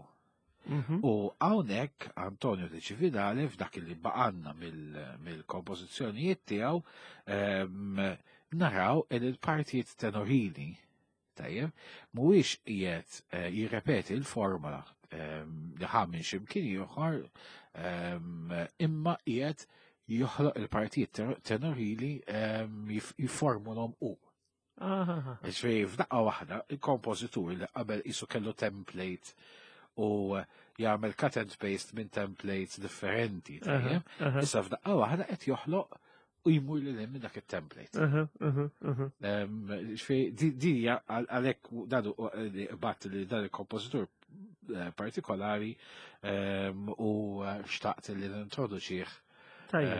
U hawnhekk Antonio de Cividale f'dak li baqanna mill-kompożizzjonijiet tiegħu naraw il il-partijiet tenorili, tajjeb, mhuwiex qiegħed jirrepeti l-formula li ħa minn x'imkien ieħor, imma qiegħed joħloq il-partijiet tenorili jifformulhom hu. Ġifieri f'daqqa waħda il-kompożitur li qabel qisu kellu template u jagħmel cut and paste minn templates differenti, tajjeb, issa f'daqqa waħda qed joħloq u jmur lil minn dak il-template. Ġifieri di hija għalhekk dan li bat li dan il-kompożitur partikolari u xtaqt li nintroduċih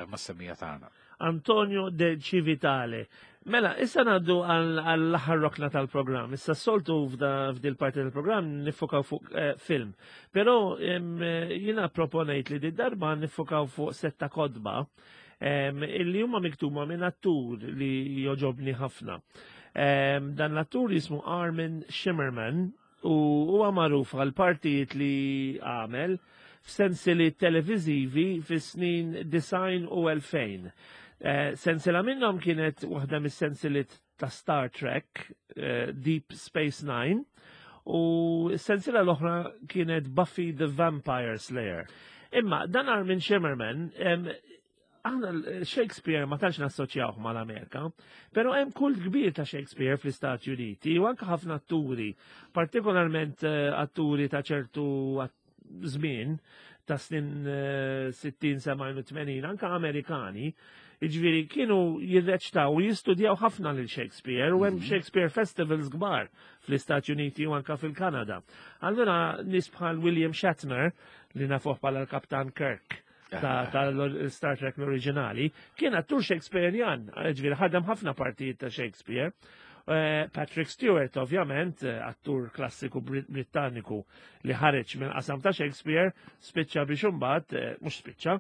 mas-semmiegħa tagħna. Antonio de Civitale. Mela, issa ngħaddu għall-aħħar rokna tal-programm. Issa s-soltu f'dil parti tal-programm nifokaw fuq film. Però jiena proponejt li di darba nifokaw fuq setta kotba illi huma miktuba minn attur li joġobni ħafna. Dan l-attur jismu Armin Shimerman u huwa magħruf għal partijiet li għamel f'sensili televizivi fis-snin 90 u 2000. Sensila minnhom kienet waħda mis-sensiliet ta' Star Trek, Deep Space Nine, u s-sensila l-oħra kienet Buffy the Vampire Slayer. Imma dan Armin Shimerman, aħna Shakespeare ma tantx nassoċjawh mal-Amerika, però hemm kult kbir ta' Shakespeare fl-Istati Uniti u anke ħafna atturi, partikolarment atturi ta' ċertu żmien ta' snin 60, 70 u 80, anke Amerikani, jiġifieri kienu jirreċtaw u jistudjaw ħafna lil Shakespeare u hemm Shakespeare festivals kbar fl-Istati Uniti u anke fil-Kanada. Allura nies bħal William Shatner, li nafuh bħala l-Kaptan Kirk ta' Star Trek l-oriġinali, kien attur Shakespearean, ġifieri ħadem ħafna partijiet ta' Shakespeare. Patrick Stewart, ovvjament, attur klassiku Britanniku li ħareġ minn qasam ta' Shakespeare, spiċċa biex imbagħad, mhux spiċċa,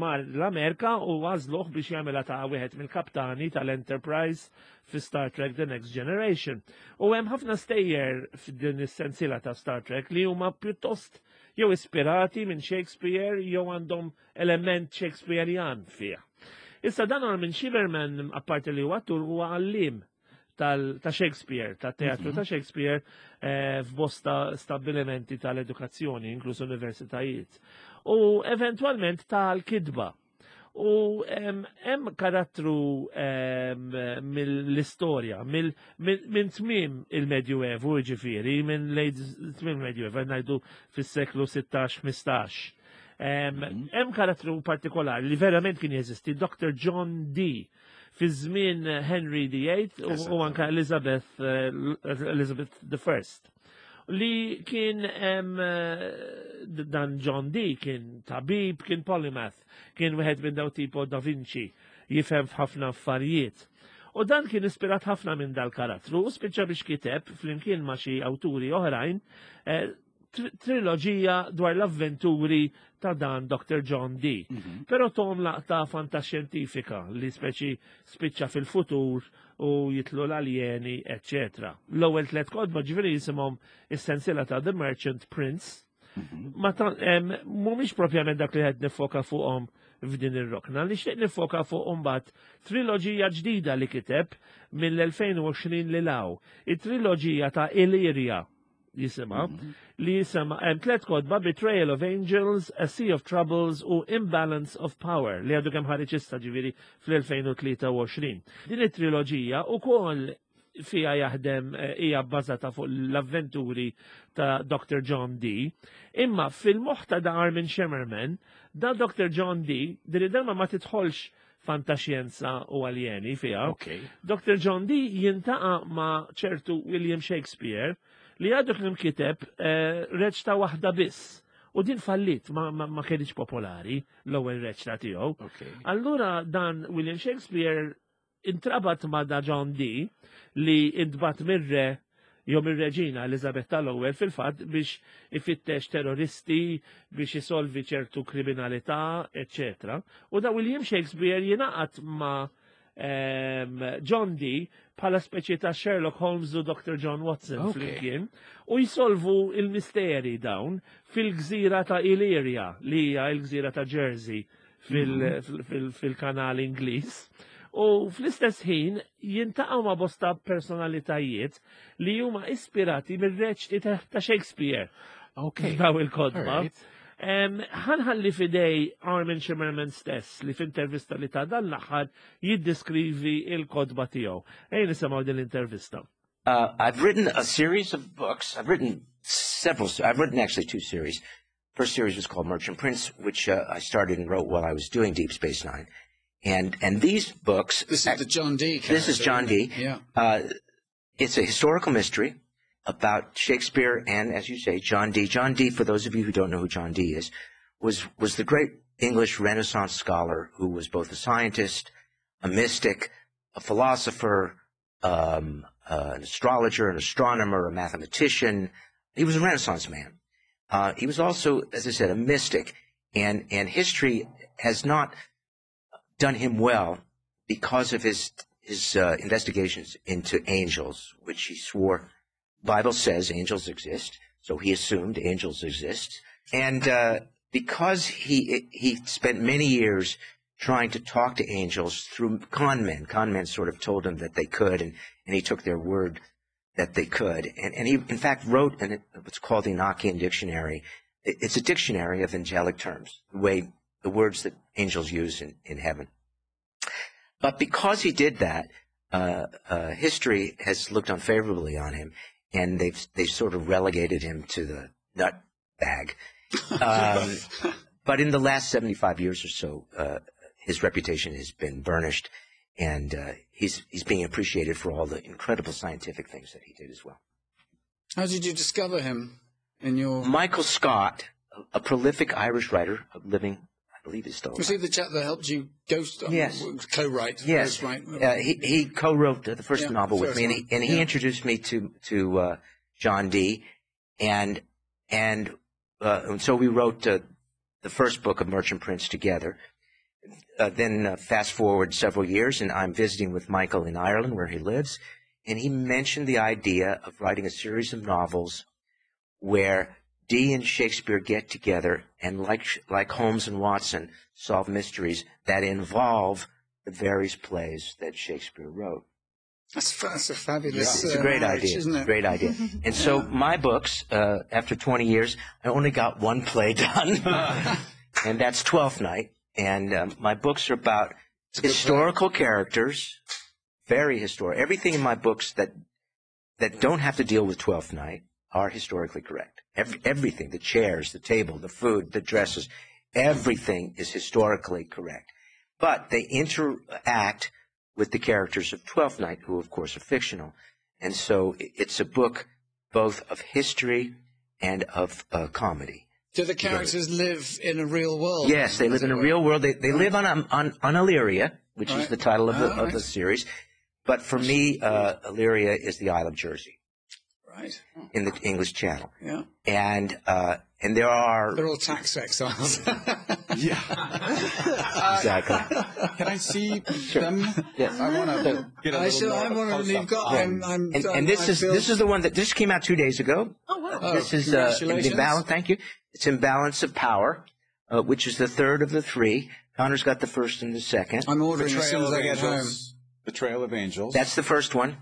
mar l-Amerika u għażluh biex jagħmilha ta' wieħed mill-kaptani tal-Enterprise fi Star Trek The Next Generation. U hemm ħafna stejjer f'din is-sensiela ta' Star Trek li huma pjuttost jew ispirati minn Shakespeare jew għandhom element Shakespearean fih. Issa dan Armin Shimerman, apparti li huwa attur, huwa għallim ta' Shakespeare, ta' teatru ta' Shakespeare f'bosta stabilimenti tal-edukazzjoni, inkluż universitajiet. U eventualment tal-kidba. U hemm karattru mill-istorja, minn tmiem il-Medjuevu, ġifieri, minn lejn tmiem il-Medjuevu, ngħidu fis-seklu 16-15. Mhm. Hemm karattru partikolari li verament kien jeżisti, Dr. John Dee, fi żmien Henry VIII u anka Elizabeth eh, Elizabeth I li kien eh, dan John Dee kien tabib, kien polymath, kien wieħed minn daw tipo Da Vinci, jifhem f'ħafna affarijiet. U dan kien ispirat ħafna minn dal-karattru u spiċċa biex kiteb flimkien ma' xi awturi oħrajn eh, triloġija dwar l-avventuri ta' dan Dr. John Dee. Mhm. Però tom laqta fantaxjentifika li speċi spiċċa fil-futur u jitlu l-aljeni, etc. L-ewwel tliet kotba ġifieri jisimhom is-sensiela ta' The Merchant Prince. Mhm. Ma mhumiex propjament dak li qed nifoka fuqhom f'din ir-rokna, li xtieq nifoka fuq imbagħad triloġija ġdida li kiteb mill-2020 li law. It-triloġija ta' Illyria jisimha, mhm. li jisema hemm tliet kotba Betrayal of Angels, A Sea of Troubles u Imbalance of Power li għadu kemm ħareġ issa ġifieri fl-2023. Din it-triloġija ukoll fija jaħdem eh, hija bbażata fuq l-avventuri ta' Dr. John Dee. Imma fil-moħħ ta' da Armin Shimerman, da Dr. John Dee, din id-darba ma tidħolx fantaxjenza u aljeni fiha. Okay. Dr. John Dee jintaqa' ma' ċertu William Shakespeare li għadu kien kiteb eh, reċta waħda biss. U din fallit ma, ma, ma kienx popolari l-ewwel reċta tiegħu. Okay. Allura dan William Shakespeare intrabat ma' da John Dee li intbat mir-re jew mir-reġina Elizabeth tal-ewwel fil-fatt biex ifittex terroristi, biex isolvi ċertu kriminalità, eccetera. U da William Shakespeare jingħaqad ma' John Dee bħala speċi ta' Sherlock Holmes u Dr. John Watson okay. flimkien u jisolvu il-misteri dawn fil-gżira ta' Illyria li hija l-gżira ta' Jersey mhm. fil-kanal Ingliż. U fl-istess ħin jintaqgħu ma' bosta personalitajiet li huma ispirati mir-reċti ta' Shakespeare. Okay. Daw il-kodba. Ħanħalli fidej Armin Shimerman stess li f'intervista li ta' dan l-aħħar jiddeskrivi il-kodba tiegħu. Ejn nisimgħu din l-intervista. I've written a series of books. I've written several. I've written actually two series. First series was called Merchant Prince, which I started and wrote while I was doing Deep Space Nine. And and these books. This is the John Dee. This is John Dee. Yeah. It's a historical mystery about Shakespeare and, as you say, John Dee. John Dee, for those of you who don't know who John Dee is, was was the great English Renaissance scholar who was both a scientist, a mystic, a philosopher, an astrologer, an astronomer, a mathematician. He was a Renaissance man. He was also, as I said, a mystic, and and history has not done him well because of his his investigations into angels, which he swore Bible says angels exist, so he assumed angels exist. And because he he spent many years trying to talk to angels through con men, con men sort of told him that they could, and, and he took their word that they could. And, and he, in fact, wrote an, what's called the Enochian Dictionary. It's a dictionary of angelic terms, the way the words that angels use in, in heaven. But because he did that, history has looked unfavorably on him, and they've they've sort of relegated him to the nut bag. But in the last 75 years or so, his reputation has been burnished, and he's he's being appreciated for all the incredible scientific things that he did as well. How did you discover him in your Michael Scott, a prolific Irish writer living I believe he's still Was he the chap that helped you ghost yes. co-write? Yes. Write? He, he co-wrote the first yeah, novel with me, and he, and he yeah. introduced me to to John Dee, and and, and so we wrote the first book of Merchant Prince together. Then fast forward several years, and I'm visiting with Michael in Ireland, where he lives, and he mentioned the idea of writing a series of novels where Dee and Shakespeare get together and, like like Holmes and Watson, solve mysteries that involve the various plays that Shakespeare wrote. That's, that's a fabulous. Yeah. It's a great marriage, idea, isn't it? Great idea. And so my books, after 20 years, I only got one play done, and that's Twelfth Night. And my books are about historical characters, very historic. Everything in my books that don't have to deal with Twelfth Night are historically correct. Everything, the chairs, the table, the food, the dresses, everything is historically correct. But they interact with the characters of Twelfth Night, who, of course, are fictional. And so it's a book both of history and of comedy. Do the characters live in a real world? Yes, they live in a real world. They live on Illyria, which is the title of the series. But for me, Illyria is the Isle of Jersey. Right. In the English Channel. Yeah. And there are... They're all tax exiles. Yeah. Exactly. Can I see them? Yes. I want to get a little more I want to. You've got. And this is the one that just came out 2 days ago. Oh, wow. This is in balance. Thank you. It's Imbalance of Power, which is the third of the three. Connor's got the first and the second. I'm ordering as soon as I get home. Betrayal of Angels. That's the first one.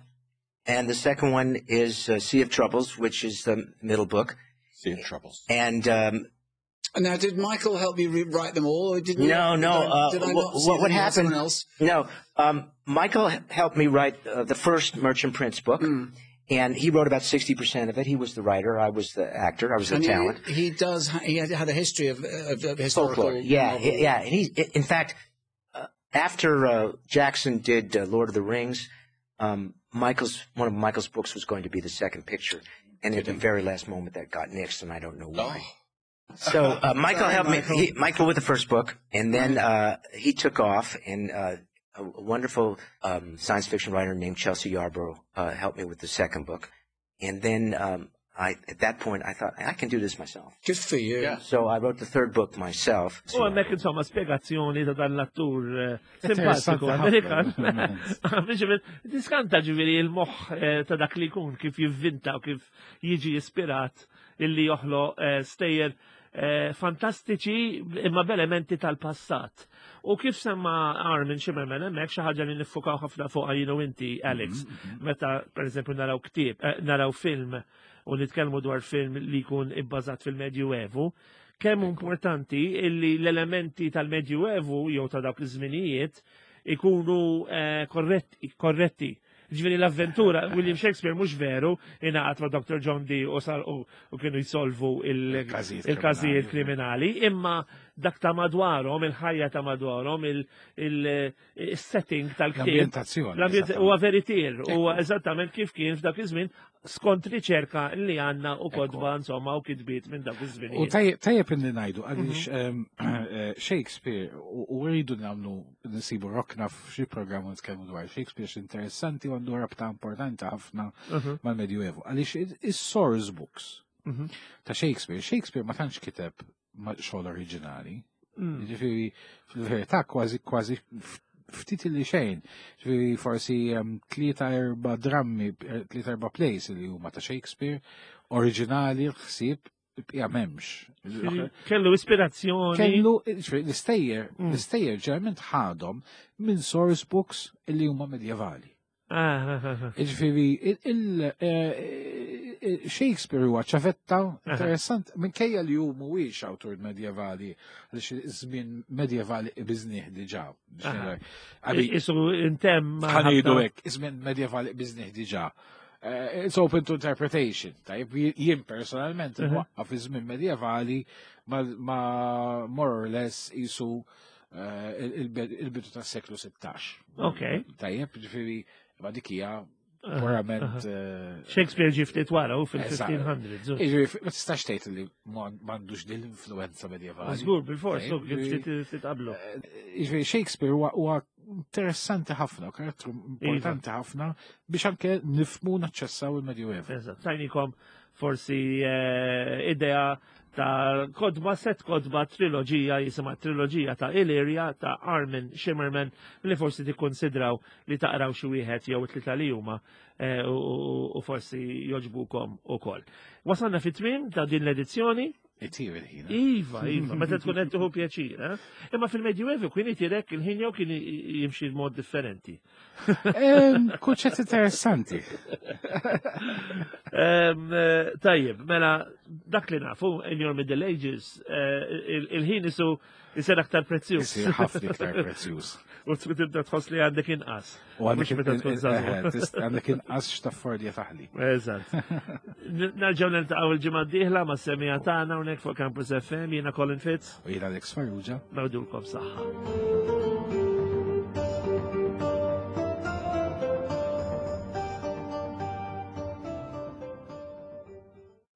And the second one is Sea of Troubles, which is the middle book. Sea of Troubles. And now, did Michael help you rewrite them all? Or did you, no, no. Did I not see what happened? Else? No, Michael helped me write the first Merchant Prince book, and he wrote about 60% of it. He was the writer. I was the actor. I was the talent. He does. He had a history of historical folklore. Yeah, yeah. And he, in fact, after Jackson did Lord of the Rings. One of Michael's books was going to be the second picture, and at the very last moment that got nixed, and I don't know why. Oh. So Michael helped me. Michael with the first book, and then he took off, and a wonderful science fiction writer named Chelsea Yarborough helped me with the second book, and then at that point, I thought, I can do this myself. Good for you. Yeah. So I wrote the third book myself. U hemmhekk insomma spjegazzjoni ta' dan l-attur simpatiku Amerikan. Tiskanta ġifieri il-moħħ ta' dak li jkun kif jivvinta u kif jiġi ispirat illi joħloq stejjer fantastiċi imma b'elementi tal-passat. U kif semma Armin Shimerman hemmhekk xi ħaġa li niffukaw ħafna fuqha jien u inti, Alex, meta pereżempju naraw ktieb, naraw film u nitkellmu dwar film li jkun ibbażat fil-Medjuevu, kemm importanti illi l-elementi tal-Medjuevu jew ta' dawk iż-żminijiet ikunu korretti. Ġifieri l-avventura, William Shakespeare mhux veru ingħaqad ma' Dr. John Dee u kienu jsolvu il-każijiet kriminali, imma dak ta' madwarhom, il-ħajja ta' madwarhom, il-setting tal-ktieb. L-ambjentazzjoni. Huwa veritier, huwa eżattament kif kien f'dak iż-żmien skont riċerka li għandna u kodba insomma u kitbiet minn dak iż-żmien. U tajjeb inni ngħidu għaliex Shakespeare u rridu nagħmlu nsibu rokna f'xi programm u nitkellmu dwar Shakespeare x'interessanti u għandu rabta importanti ħafna mal-Medjuevu. Għaliex is-source books ta' Shakespeare, Shakespeare ma tantx kiteb xogħol oriġinali. Ġifieri fil-verità kważi ftit li xejn. Ġifieri forsi 3-4 drammi, 3-4 plays li huma ta' Shakespeare, oriġinali l-ħsieb bqija m'hemmx. Kellu ispirazzjoni. Kellu, l-istejjer, l-istejjer ġeneralment ħadhom minn source books li huma medjevali. Ġifieri Shakespeare huwa ċavetta interessant minkejja li hu mhuwiex awtur medjevali għaliex iż-żmien medjevali biżnieh diġà. Isu intemm. Ħanidu hekk, iż-żmien medjevali biżnieh diġà. It's open to interpretation. Tajb, jien personalment nwaqqaf iż-żmien medjevali ma more or less isu il-bidu tas-seklu 16. Okay. Tajjeb, ġifieri ma dik hija purament. Shakespeare ġie ftit wara u fil-1500s. Jiġifieri ma tistax tgħid li m'għandux din l-influenza medjevali. Żgur, bil-fors, ftit qablu. Jiġifieri Shakespeare huwa interessanti ħafna, karattru importanti ħafna biex anke nifhmu naċċessaw il-Medjuevu. Eżatt, tajnikom forsi idea ta' kodba, set kodba, triloġija, jisimha triloġija ta' Illyria ta' Armin Shimerman, li forsi tikkonsidraw li taqraw xi wieħed jew tlieta li huma u forsi joġbukom ukoll. Wasalna fit-tmiem ta' din l-edizzjoni. Itir il-ħin. Iva, iva, meta tkun qed tieħu pjaċir, eh? Imma fil-Medjuevu kien itirek il-ħin jew kien jimxi mod differenti. Kunċett interessanti. Eh, tajjeb, mela dak li nafu in your Middle Ages, eh, il-ħin isu jisir aktar prezzjuż. Isir ħafna iktar prezzjuż. U tibda tħoss li għandek inqas. U għandek meta tkun eh, għandek inqas x'taffordja taħli. Eżatt. Nerġgħu niltaqgħu il-ġimgħa d-dieħla ma' semija tagħna hawnhekk fuq Campus FM jiena Colin Fitz. U jiena Alex Farrugia. Nawdulkom saħħa.